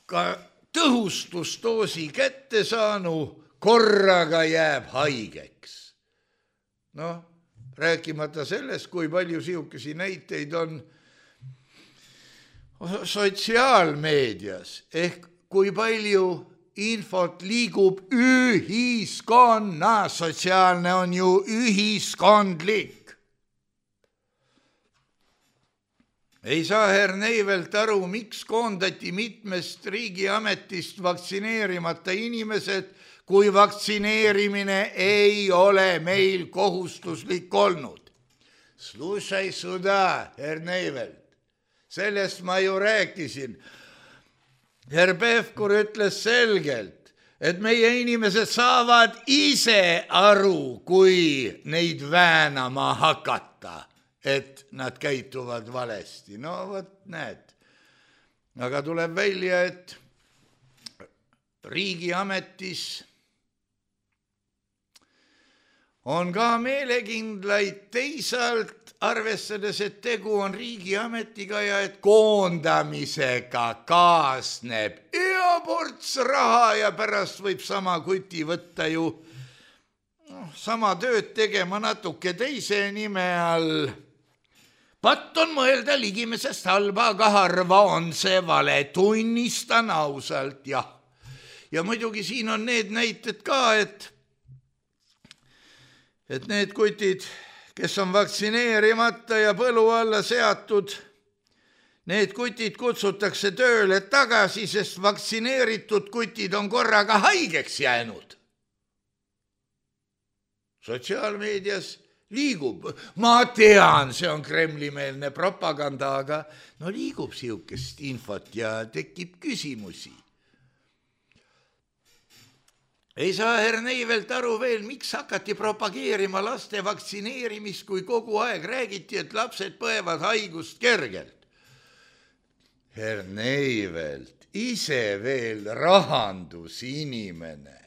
ka tõhustusdoosi kätte saanu korraga jääb haigeks. noh, rääkimata sellest, kui palju sihukesi näiteid on sotsiaalmeedias ehk kui palju infot liigub ühiskonnas, sotsiaalne on ju ühiskondlik. Ei saa Herr Neivelt aru, miks koondati mitmest riigiametist vaktsineerimata inimesed, kui vaktsineerimine ei ole meil kohustuslik olnud. Slušaj suda, Herr Neivelt, sellest ma ju rääkisin. Herr Pevkur ütles selgelt, et meie inimesed saavad ise aru, kui neid väänama hakata, et nad käituvad valesti. No vot, näed. Aga tuleb välja, et riigiametis on ka meelekindlaid teisalt, arvestades, et tegu on riigiametiga ja et koondamisega kaasneb ja ports raha ja pärast võib sama kuti võtta ju no, sama tööd tegema natuke teise nime all. Patt on mõelda ligimesest halba, aga harva on see vale, tunnistan ausalt, jah. Ja muidugi siin on need näited ka, et et need kutid, kes on vaktsineerimata ja põlu alla seatud, need kutid kutsutakse tööle tagasi, sest vaktsineeritud kutid on korraga haigeks jäänud. Sotsiaalmeedias liigub, ma tean, see on kremlimeelne propaganda, aga no liigub sihukest infot ja tekib küsimusi. Ei saa Herr Neivelt aru veel, miks hakati propageerima laste vaktsineerimist, kui kogu aeg räägiti, et lapsed põevad haigust kergelt. Herr Neivelt, ise veel rahandusinimene.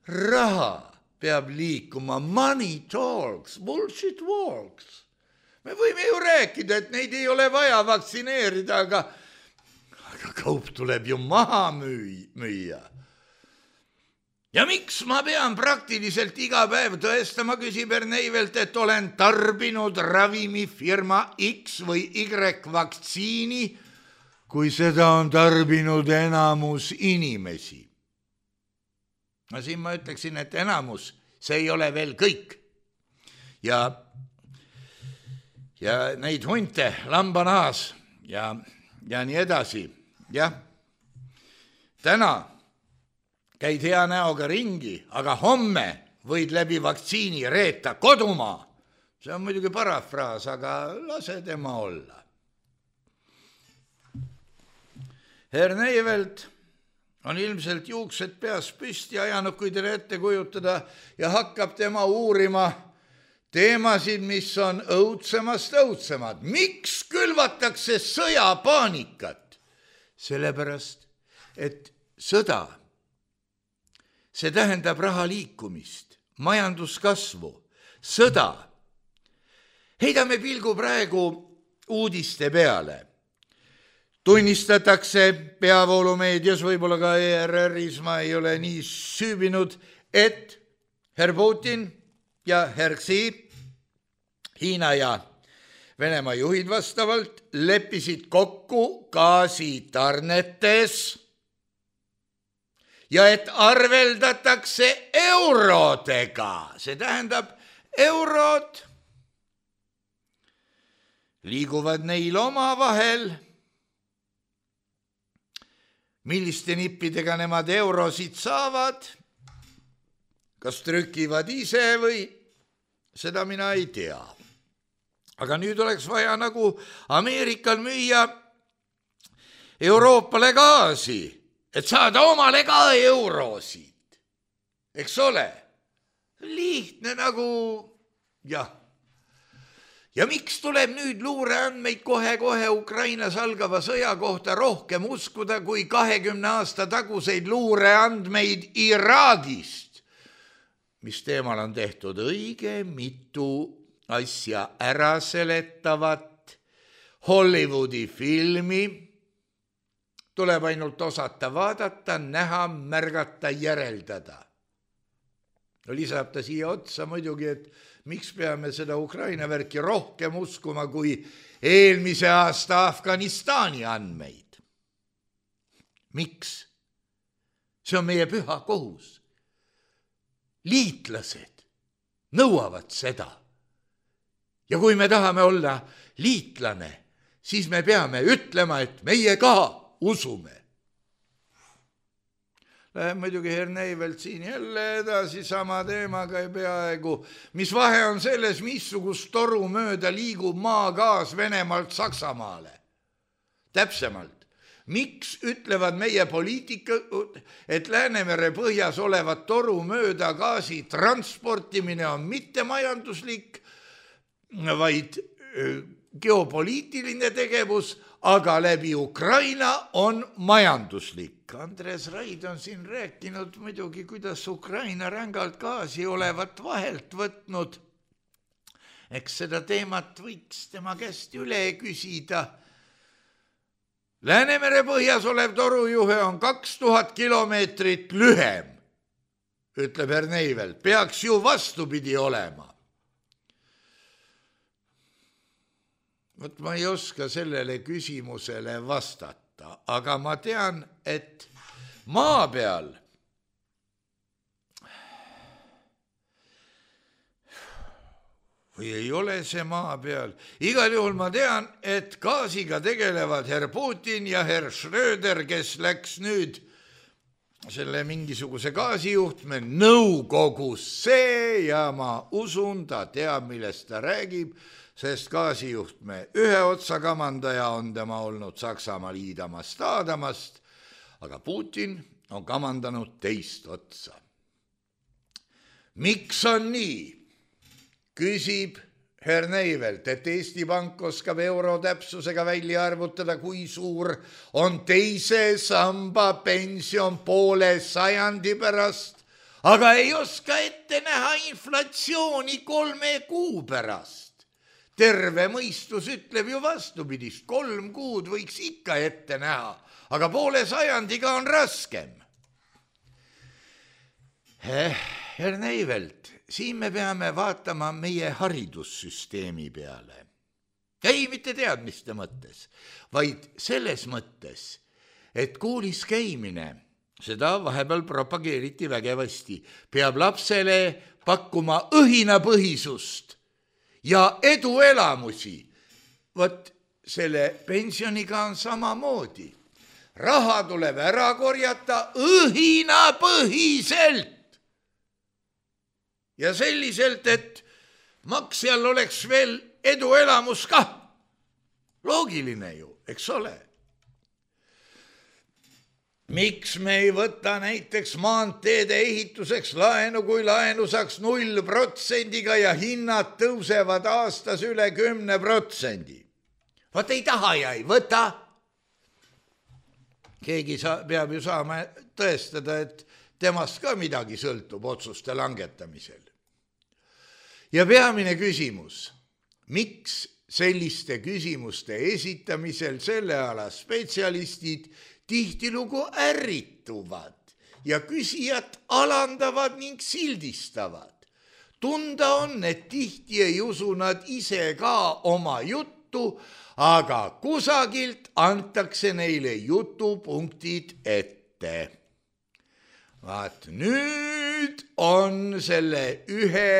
Raha peab liikuma, money talks, bullshit walks. Me võime ju rääkida, et neid ei ole vaja vaktsineerida, aga, aga kaup tuleb ju maha müüa. Ja miks ma pean praktiliselt iga päev tõestama, küsib Herr Neivelt, et olen tarbinud ravimifirma X või Y vaktsiini, kui seda on tarbinud enamus inimesi. No siin ma ütleksin, et enamus, see ei ole veel kõik. Ja, ja neid hunte, lambanaas ja, ja nii edasi. Jah, täna käid hea näoga ringi, aga homme võid läbi vaktsiini reeta kodumaa. See on muidugi parafraas, aga lase tema olla. Herr Neivelt on ilmselt juuksed peas püsti ajanud, kui teile ette kujutada, ja hakkab tema uurima teemasid, mis on õudsemast õudsemad. Miks külvatakse sõjapaanikat? Sellepärast, et sõda, see tähendab raha liikumist, majanduskasvu, sõda. Heidame pilgu praegu uudiste peale. Tunnistatakse peavoolumeedias, võib-olla ka E R R-is, ma ei ole nii süübinud, et Herr Putin ja Herr Xi, Hiina ja Venemaa juhid vastavalt, leppisid kokku gaasitarnetes ja et arveldatakse eurodega. See tähendab, eurod liiguvad neil omavahel. Milliste nippidega nemad eurosid saavad, kas trükivad ise või seda mina ei tea. Aga nüüd oleks vaja nagu Ameerikal müüa Euroopale gaasi, et saada omale ka eurosid. Eks ole? Lihtne nagu, jah. Ja miks tuleb nüüd luureandmeid kohe-kohe Ukrainas algava sõja kohta rohkem uskuda kui kahekümne aasta taguseid luureandmeid Iraagist, mis teemal on tehtud õige mitu asja ära seletavat Hollywoodi filmi, tuleb ainult osata vaadata, näha, märgata, järeldada. No lisab ta siia otsa muidugi, et miks peame seda Ukraina värki rohkem uskuma kui eelmise aasta Afganistani andmeid? Miks? See on meie püha kohus. Liitlased nõuavad seda. Ja kui me tahame olla liitlane, siis me peame ütlema, et meie ka usume. Läheb muidugi Herneivelt siin jälle edasi sama teemaga ja peaaegu. Mis vahe on selles, missugust toru mööda liigub maagaas Venemaalt Saksamaale? Täpsemalt, miks ütlevad meie poliitikud, et Läänemere põhjas olevat toru mööda gaasi transportimine on mitte majanduslik, vaid geopoliitiline tegevus, aga läbi Ukraina on majanduslik. Andres Raid on siin rääkinud muidugi, kuidas Ukraina rängalt gaasi olevat vahelt võtnud. Eks seda teemat võiks tema käest üle küsida. Läänemere põhjas olev torujuhe on kaks tuhat kilomeetrit lühem, ütleb Herneivelt. Peaks ju vastupidi olema. Võt ma ei oska sellele küsimusele vastata, aga ma tean, et maa peal või ei ole see maa peal. Igal juhul ma tean, et gaasiga tegelevad herr Putin ja herr Schröder, kes läks nüüd selle mingisuguse gaasijuhtme nõukogusse ja ma usun, ta teab, millest ta räägib, sest gaasijuhtme ühe otsa kamandaja on tema olnud Saksamaal Iidamast Aadamast, aga Putin on kamandanud teist otsa. Miks on nii? Küsib Herneivelt, et Eesti Pank oskab euro täpsusega välja arvutada, kui suur on teise samba pension poole sajandi pärast, aga ei oska ette näha inflatsiooni kolme kuu pärast. Terve mõistus ütleb ju vastupidist, kolm kuud võiks ikka ette näha, aga poole sajandiga on raskem. Herneivelt, siin me peame vaatama meie haridussüsteemi peale. Ei mitte teadmiste mõttes, vaid selles mõttes, et koolis käimine, seda vahepeal propageeriti vägevasti, peab lapsele pakkuma õhinapõhisust ja eduelamusi. Võt selle pensioniga on samamoodi. Raha tuleb ära korjata õhinapõhiselt. Ja selliselt, et maksjal oleks veel eduelamus ka. Loogiline ju, eks ole. Miks me ei võta näiteks maanteede ehituseks laenu, kui laenu saaks null protsendiga ja hinnad tõusevad aastas üle kümne protsendi? Vaat ei taha ja ei võta. Keegi sa, peab ju saama tõestada, et temast ka midagi sõltub otsuste langetamisel. Ja peamine küsimus, miks selliste küsimuste esitamisel selle ala spetsialistid tihtilugu ärrituvad ja küsijat alandavad ning sildistavad. Tunda on, et tihti ei usu nad ise ka oma juttu, aga kusagilt antakse neile jutupunktid ette. Vaat nüüd on selle ühe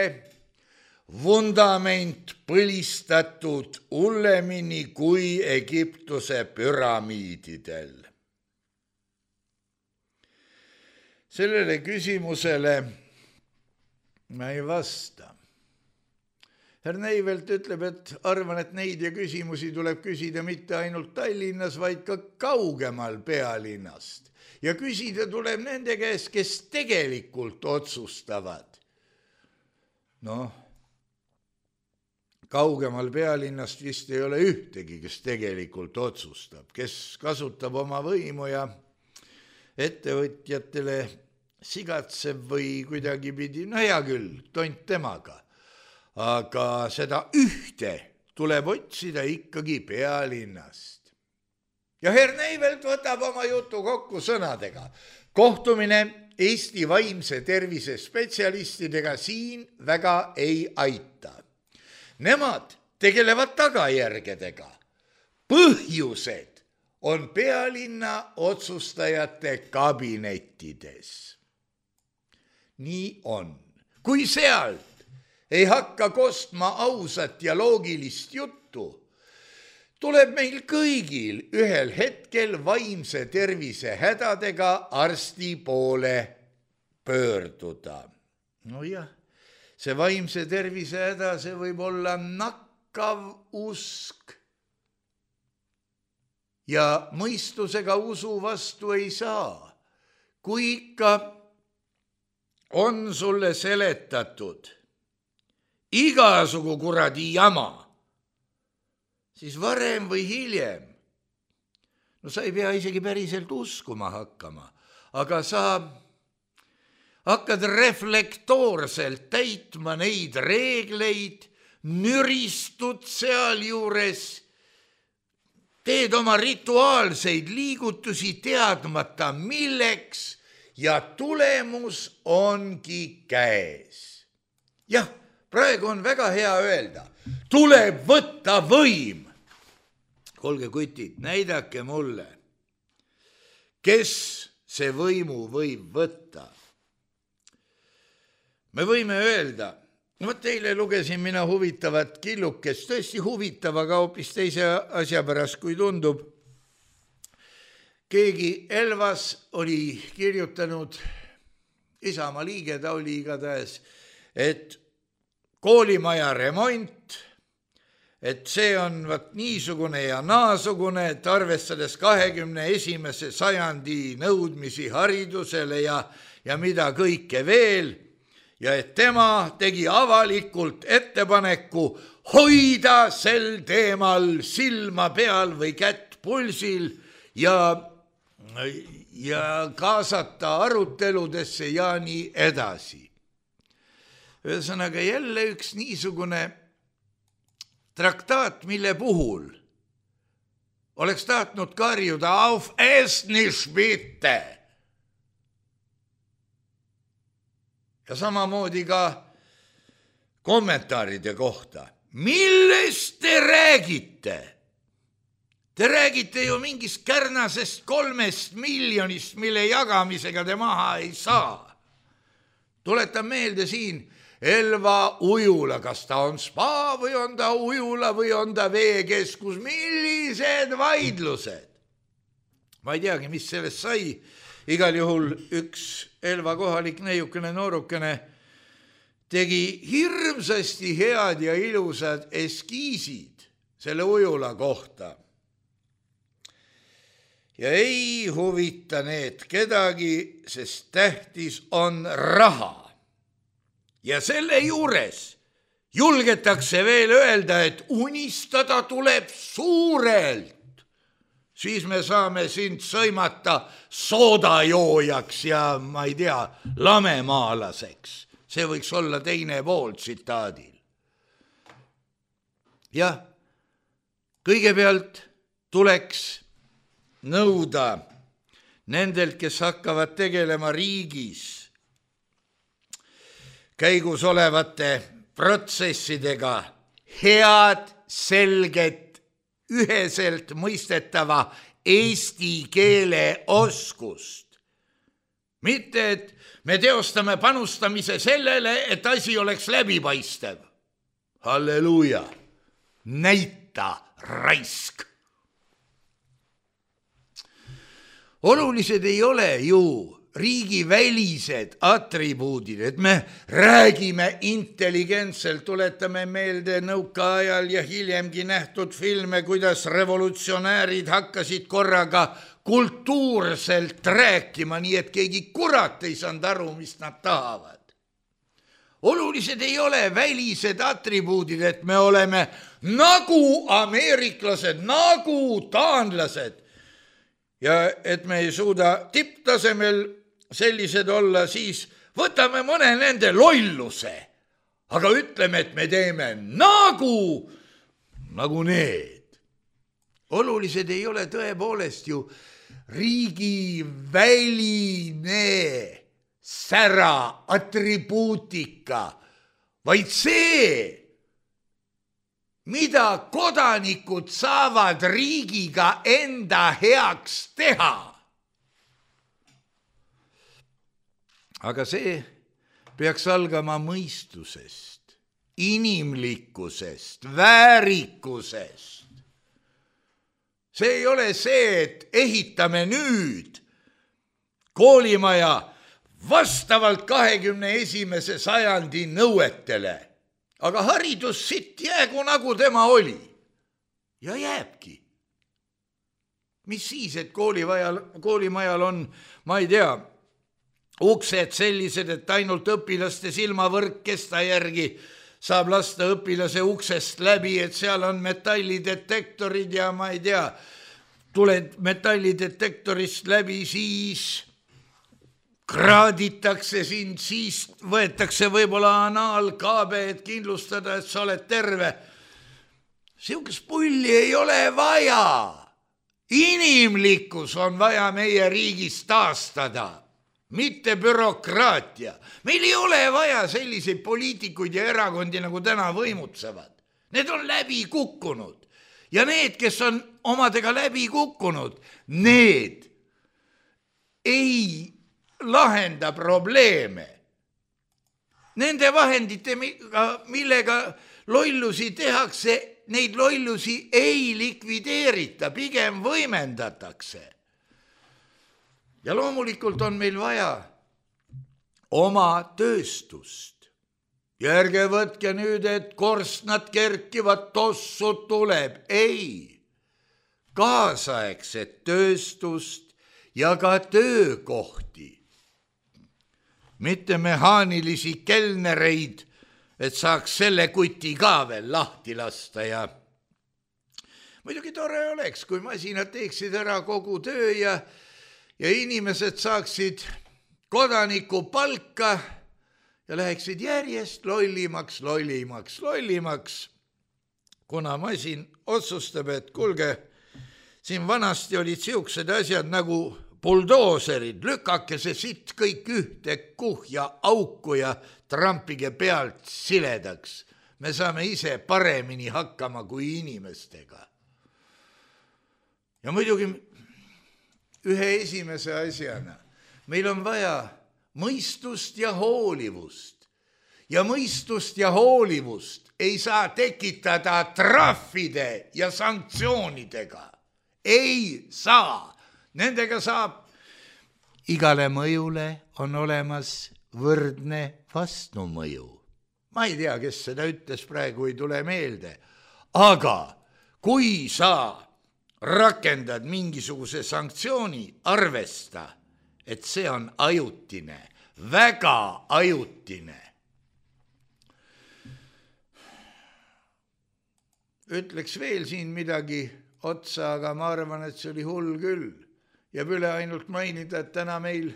vundament põlistatud hullemini kui Egiptuse püramiididel. Sellele küsimusele ma ei vasta. Herneivelt ütleb, et arvan, et neid ja küsimusi tuleb küsida mitte ainult Tallinnas, vaid ka kaugemal pealinnast. Ja küsida tuleb nende käest, kes tegelikult otsustavad. Noh, kaugemal pealinnast vist ei ole ühtegi, kes tegelikult otsustab, kes kasutab oma võimu ja ettevõtjatele sigatseb või kuidagi pidi, no hea küll, tont temaga, aga seda ühte tuleb otsida ikkagi pealinnast. Ja Herneivelt võtab oma jutu kokku sõnadega. Kohtumine Eesti vaimse tervise spetsialistidega siin väga ei aita. Nemad tegelevad tagajärgedega. Põhjused on pealinna otsustajate kabinettides. Nii on. Kui sealt ei hakka kostma ausat ja loogilist juttu, tuleb meil kõigil ühel hetkel vaimse tervise hädadega arsti poole pöörduda. No jah, see vaimse tervise häda, see võib olla nakkav usk. Ja mõistusega usu vastu ei saa. Kui ikka on sulle seletatud igasugu kuradi jama, siis varem või hiljem, no sa ei pea isegi päriselt uskuma hakkama, aga sa hakkad reflektoorselt täitma neid reegleid, nüristud seal juures, teed oma rituaalseid liigutusi teadmata milleks ja tulemus ongi käes. Jah, praegu on väga hea öelda, tuleb võtta võim. Kuulge kutid, näidake mulle, kes see võimu võib võtta. Me võime öelda, no teile lugesin mina huvitavat killukest, tõesti huvitav, aga hoopis teise asja pärast, kui tundub. Keegi Elvas oli kirjutanud, Isamaa liige ta oli igatahes, et koolimaja remont, et see on vaat niisugune ja naasugune, et arvestades kahekümne esimese sajandi nõudmisi haridusele ja, ja mida kõike veel, ja et tema tegi avalikult ettepaneku hoida sel teemal silma peal või kätt pulsil ja, ja kaasata aruteludesse ja nii edasi. Ühesõnaga jälle üks niisugune traktaat, mille puhul oleks tahtnud karjuda auf es nicht bitte. Ja samamoodi ka kommentaaride kohta. Millest te räägite? Te räägite ju mingist kärnasest kolmest miljonist, mille jagamisega te maha ei saa. Tuletan meelde siin Elva ujula, kas ta on spa või on ta ujula või on ta veekeskus, millised vaidlused. Ma ei teagi, mis sellest sai. Igal juhul üks Elva kohalik neiukene noorukene tegi hirmsasti head ja ilusad eskiisid selle ujula kohta. Ja ei huvita need kedagi, sest tähtis on raha. Ja selle juures julgetakse veel öelda, et unistada tuleb suurelt. Siis me saame sind sõimata soodajoojaks ja ma ei tea, lamemaalaseks. See võiks olla teine pool tsitaadil. Jah, kõigepealt tuleks nõuda nendelt, kes hakkavad tegelema riigis käigus olevate protsessidega head, selget, üheselt mõistetava eesti keele oskust. Mitte, et me teostame panustamise sellele, et asi oleks läbipaistev. Halleluuja, näita raisk. Olulised ei ole ju riigi välised atribuudid, et me räägime intelligentselt, tuletame meelde nõukaajal ja hiljemgi nähtud filme, kuidas revolutsionäärid hakkasid korraga kultuurselt rääkima, nii et keegi kurat ei saanud aru, mis nad tahavad. Olulised ei ole välised atribuudid, et me oleme nagu ameeriklased, nagu taanlased ja et me ei suuda tipptasemel sellised olla, siis võtame mõne nende lolluse, aga ütleme, et me teeme nagu, nagu need. Olulised ei ole tõepoolest ju riigi väline sära atribuutika, vaid see, mida kodanikud saavad riigiga enda heaks teha. Aga see peaks algama mõistusest, inimlikkusest, väärikusest. See ei ole see, et ehitame nüüd koolimaja vastavalt kahekümne esimese sajandi nõuetele, aga haridus sitt jäägu nagu tema oli ja jääbki. Mis siis, et koolivajal, koolimajal on, ma ei tea, uksed sellised, et ainult õpilaste silmavõrk kesta järgi saab lasta õpilase uksest läbi, et seal on metallidetektorid ja ma ei tea, tuled metallidetektorist läbi, siis kraaditakse sind, siis võetakse võib-olla anaalkaabe, et kindlustada, et sa oled terve. Siukest pulli ei ole vaja. Inimlikkus on vaja meie riigis taastada. Mitte bürokraatia. Meil ei ole vaja selliseid poliitikuid ja erakondi, nagu täna võimutsevad. Need on läbi kukkunud. Ja need, kes on omadega läbi kukkunud, need ei lahenda probleeme. Nende vahendite, millega lollusi tehakse, neid lollusi ei likvideerita, pigem võimendatakse. Ja loomulikult on meil vaja oma tööstust. Ja ärge võtke nüüd, et korstnad kerkivad, tossu tuleb. Ei, kaasaegset tööstust ja ka töökohti. Mitte mehaanilisi kelnereid, et saaks selle kuti ka veel lahti lasta. Ja muidugi tore oleks, kui masinad teeksid ära kogu töö ja Ja inimesed saaksid kodaniku palka ja läheksid järjest lollimaks, lollimaks, lollimaks, kuna masin otsustab, et kulge, siin vanasti olid siuksed asjad nagu buldooserid, lükake see sitt kõik ühte kuhja auku ja trampige pealt siledaks. Me saame ise paremini hakkama kui inimestega. Ja muidugi ühe esimese asjana. Meil on vaja mõistust ja hoolivust. Ja mõistust ja hoolivust ei saa tekitada trahvide ja sanktsioonidega. Ei saa. Nendega saab. Igale mõjule on olemas võrdne vastumõju. Ma ei tea, kes seda ütles, praegu ei tule meelde. Aga kui sa rakendad mingisuguse sanktsiooni, arvesta, et see on ajutine, väga ajutine. Ütleks veel siin midagi otsa, aga ma arvan, et see oli hull küll. Jääb üle ainult mainida, et täna meil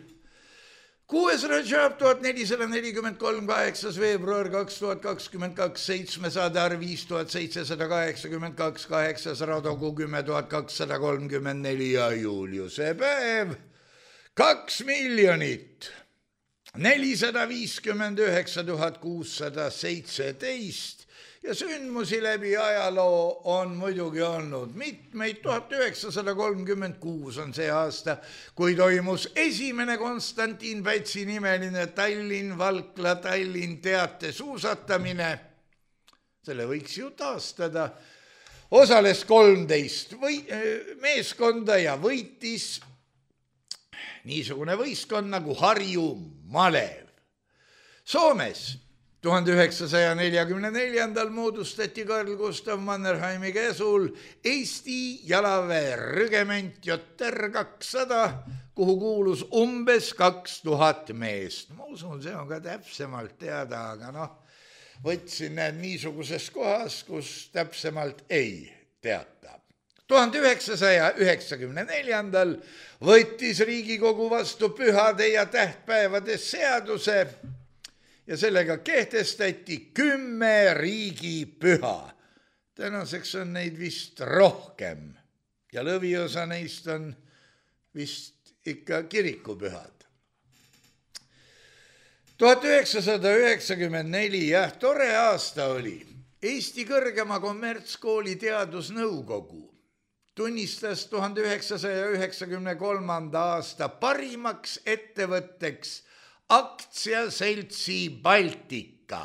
kuues Rajab tuhat nelisada nelikümmend kolm, kaheksas veebruar kaks tuhat kakskümmend kaks, seitsmesada viis tuhat seitsesada kaheksakümmend kaks, kaheksas Radogu kümme tuhat kakssada kolmkümmend neli ja Juliuse päev kaks miljonit nelisada viiskümmend üheksa tuhat kuussada seitseteist ja sündmusi läbi ajaloo on muidugi olnud mitmeid. Tuhat üheksasada kolmkümmend kuus on see aasta, kui toimus esimene Konstantin Pätsi nimeline Tallinn-Valkla Tallinn teate suusatamine. Selle võiks ju taastada. Osales kolmteist või, meeskonda ja võitis niisugune võistkond nagu Harju Malev. Soomes tuhande üheksasaja neljakümne neljandal moodustati Karl Gustav Mannerheimi käsul Eesti jalaväerügement J R kakssada, kuhu kuulus umbes kaks tuhat meest. Ma usun, see on ka täpsemalt teada, aga noh, võtsin need niisuguses kohas, kus täpsemalt ei teata. tuhande üheksasaja üheksakümne neljandal võttis Riigikogu vastu pühade ja tähtpäevade seaduse ja sellega kehtestati kümme riigipüha. Tänaseks on neid vist rohkem ja lõviosa neist on vist ikka kirikupühad. tuhat üheksasada üheksakümmend neli, jah, tore aasta oli. Eesti kõrgema kommertskooli teadusnõukogu tunnistas tuhande üheksasaja üheksakümne kolmanda aasta parimaks ettevõtteks aktsiaseltsi Baltika.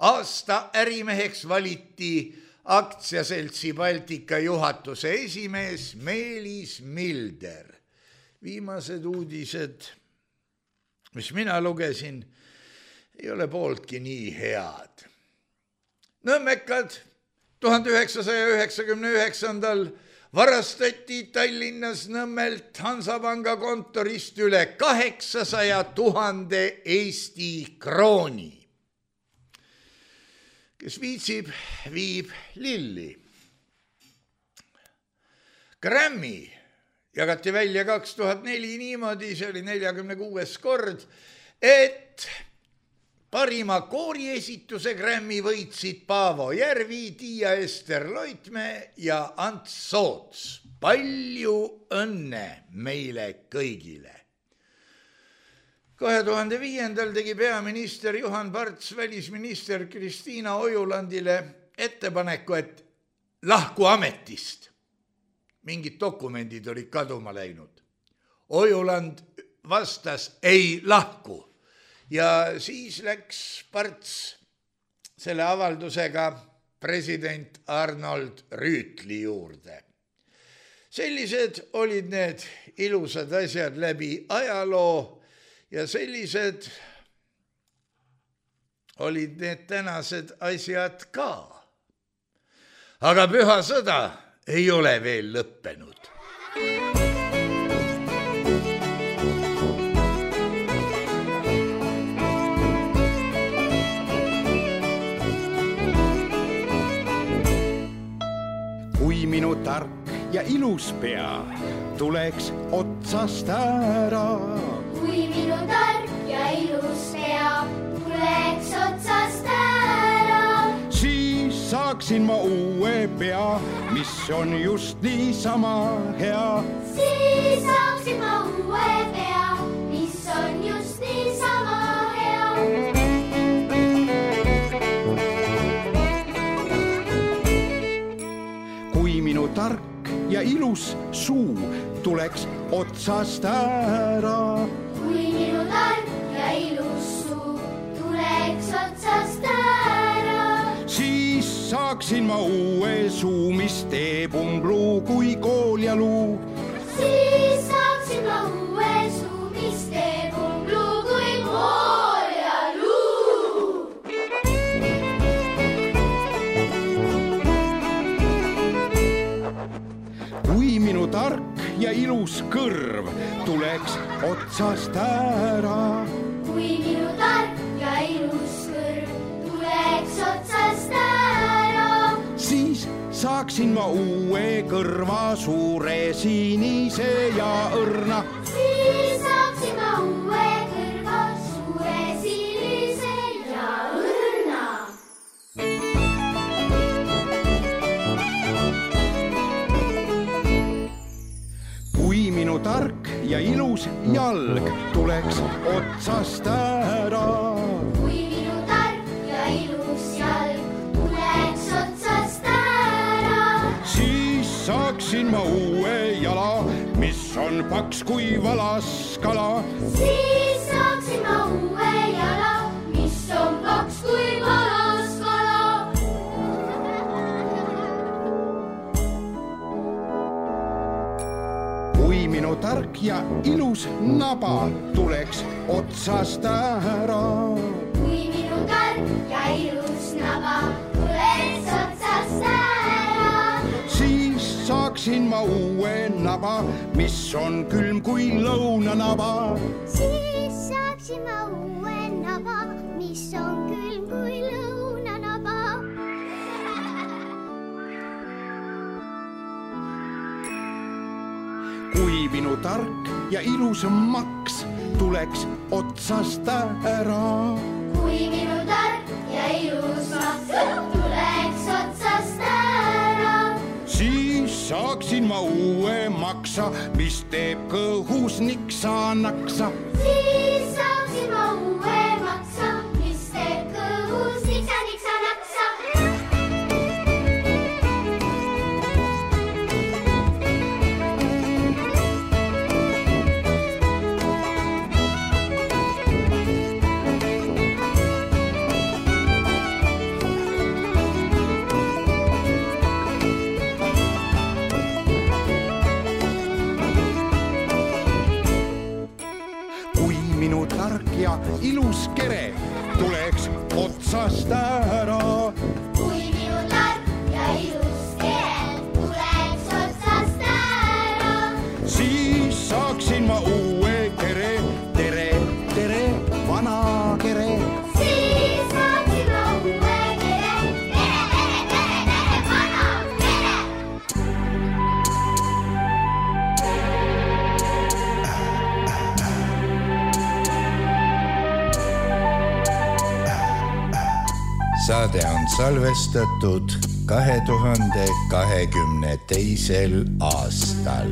Aasta ärimeheks valiti aktsiaseltsi Baltika juhatuse esimees Meelis Milder. Viimased uudised, mis mina lugesin, ei ole pooltki nii head. Nõmmekad tuhande üheksasaja üheksakümne üheksandal varastati Tallinnas Nõmmelt Hansapanga kontorist üle kaheksasaja tuhande Eesti krooni. Kes viitsib, viib lilli. Grammy jagati välja kaks tuhat neli niimoodi, see oli neljakümne kuues kord, et parima kooriesituse Grammy võitsid Paavo Järvi, Tiia-Ester Loitmäe ja Ants Soots. Palju õnne meile kõigile. kahe tuhande viiendal tegi peaminister Juhan Parts välisminister Kristiina Ojulandile ettepaneku, et lahku ametist. Mingid dokumendid olid kaduma läinud. Ojuland vastas ei lahku. Ja siis läks Parts selle avaldusega president Arnold Rüütli juurde. Sellised olid need ilusad asjad läbi ajaloo ja sellised olid need tänased asjad ka. Aga püha sõda ei ole veel lõppenud. Kui minu tark ja ilus pea tuleks otsast ära. Kui minu tark ja ilus pea tuleks otsast ära. Siis saaksin ma uue pea, mis on just niisama hea. Siis saaksin ma uue pea, mis on just niisama hea. Kui minu tark ja ilus suu tuleks otsast ära. Kui minu tark ja ilus suu tuleks otsast ära. Siis saaksin ma uue suu, mis teeb umbluu kui kool ja luu. Siis saaksin ma uue suu, mis teeb umbluu kui kool ja luu. Kui minu tark ja ilus kõrv tuleks otsast ära. Kui minu tark ja ilus kõrv tuleks otsast ära. Siis saaksin ma uue kõrva, suure sinise ja õrna. Siis saaksin ma uue kõrva, suure sinise ja õrna. Kui minu tark ja ilus jalg tuleks otsast ära. Kui minu tark ja ilus jalg tuleks otsast ära. Siis saaksin ma uue jala, mis on paks kui valaskala. Siis saaksin ma uue jala, mis on paks kui valaskala. Kui minu tark ja ilus naba tuleks otsast ära. Kui minu tark ja ilus naba tuleks otsast ära. Siis saaksin ma uue naba, mis on külm kui lõunanaba. Siis saaksin ma uue naba, mis on külm kui lõunanaba. Kui minu tark ja ilus maks tuleks otsast ära. Kui minu tark ja ilus maks tuleks otsast ära. Siis saaksin ma uue maksa, mis teeb kõhus niksa-naksa. Siis saaksin ma uue minu tark ja ilus kere tuleks otsast ära. Kui minu tark ja ilus kere tuleks otsast ära, siis saaksin ma uue kere, tere, tere, vana kere. siis saaksin ma uue kere, tere, tere, tere, tere, vana kere. Saade on salvestatud kahe tuhande kahekümne teisel aastal.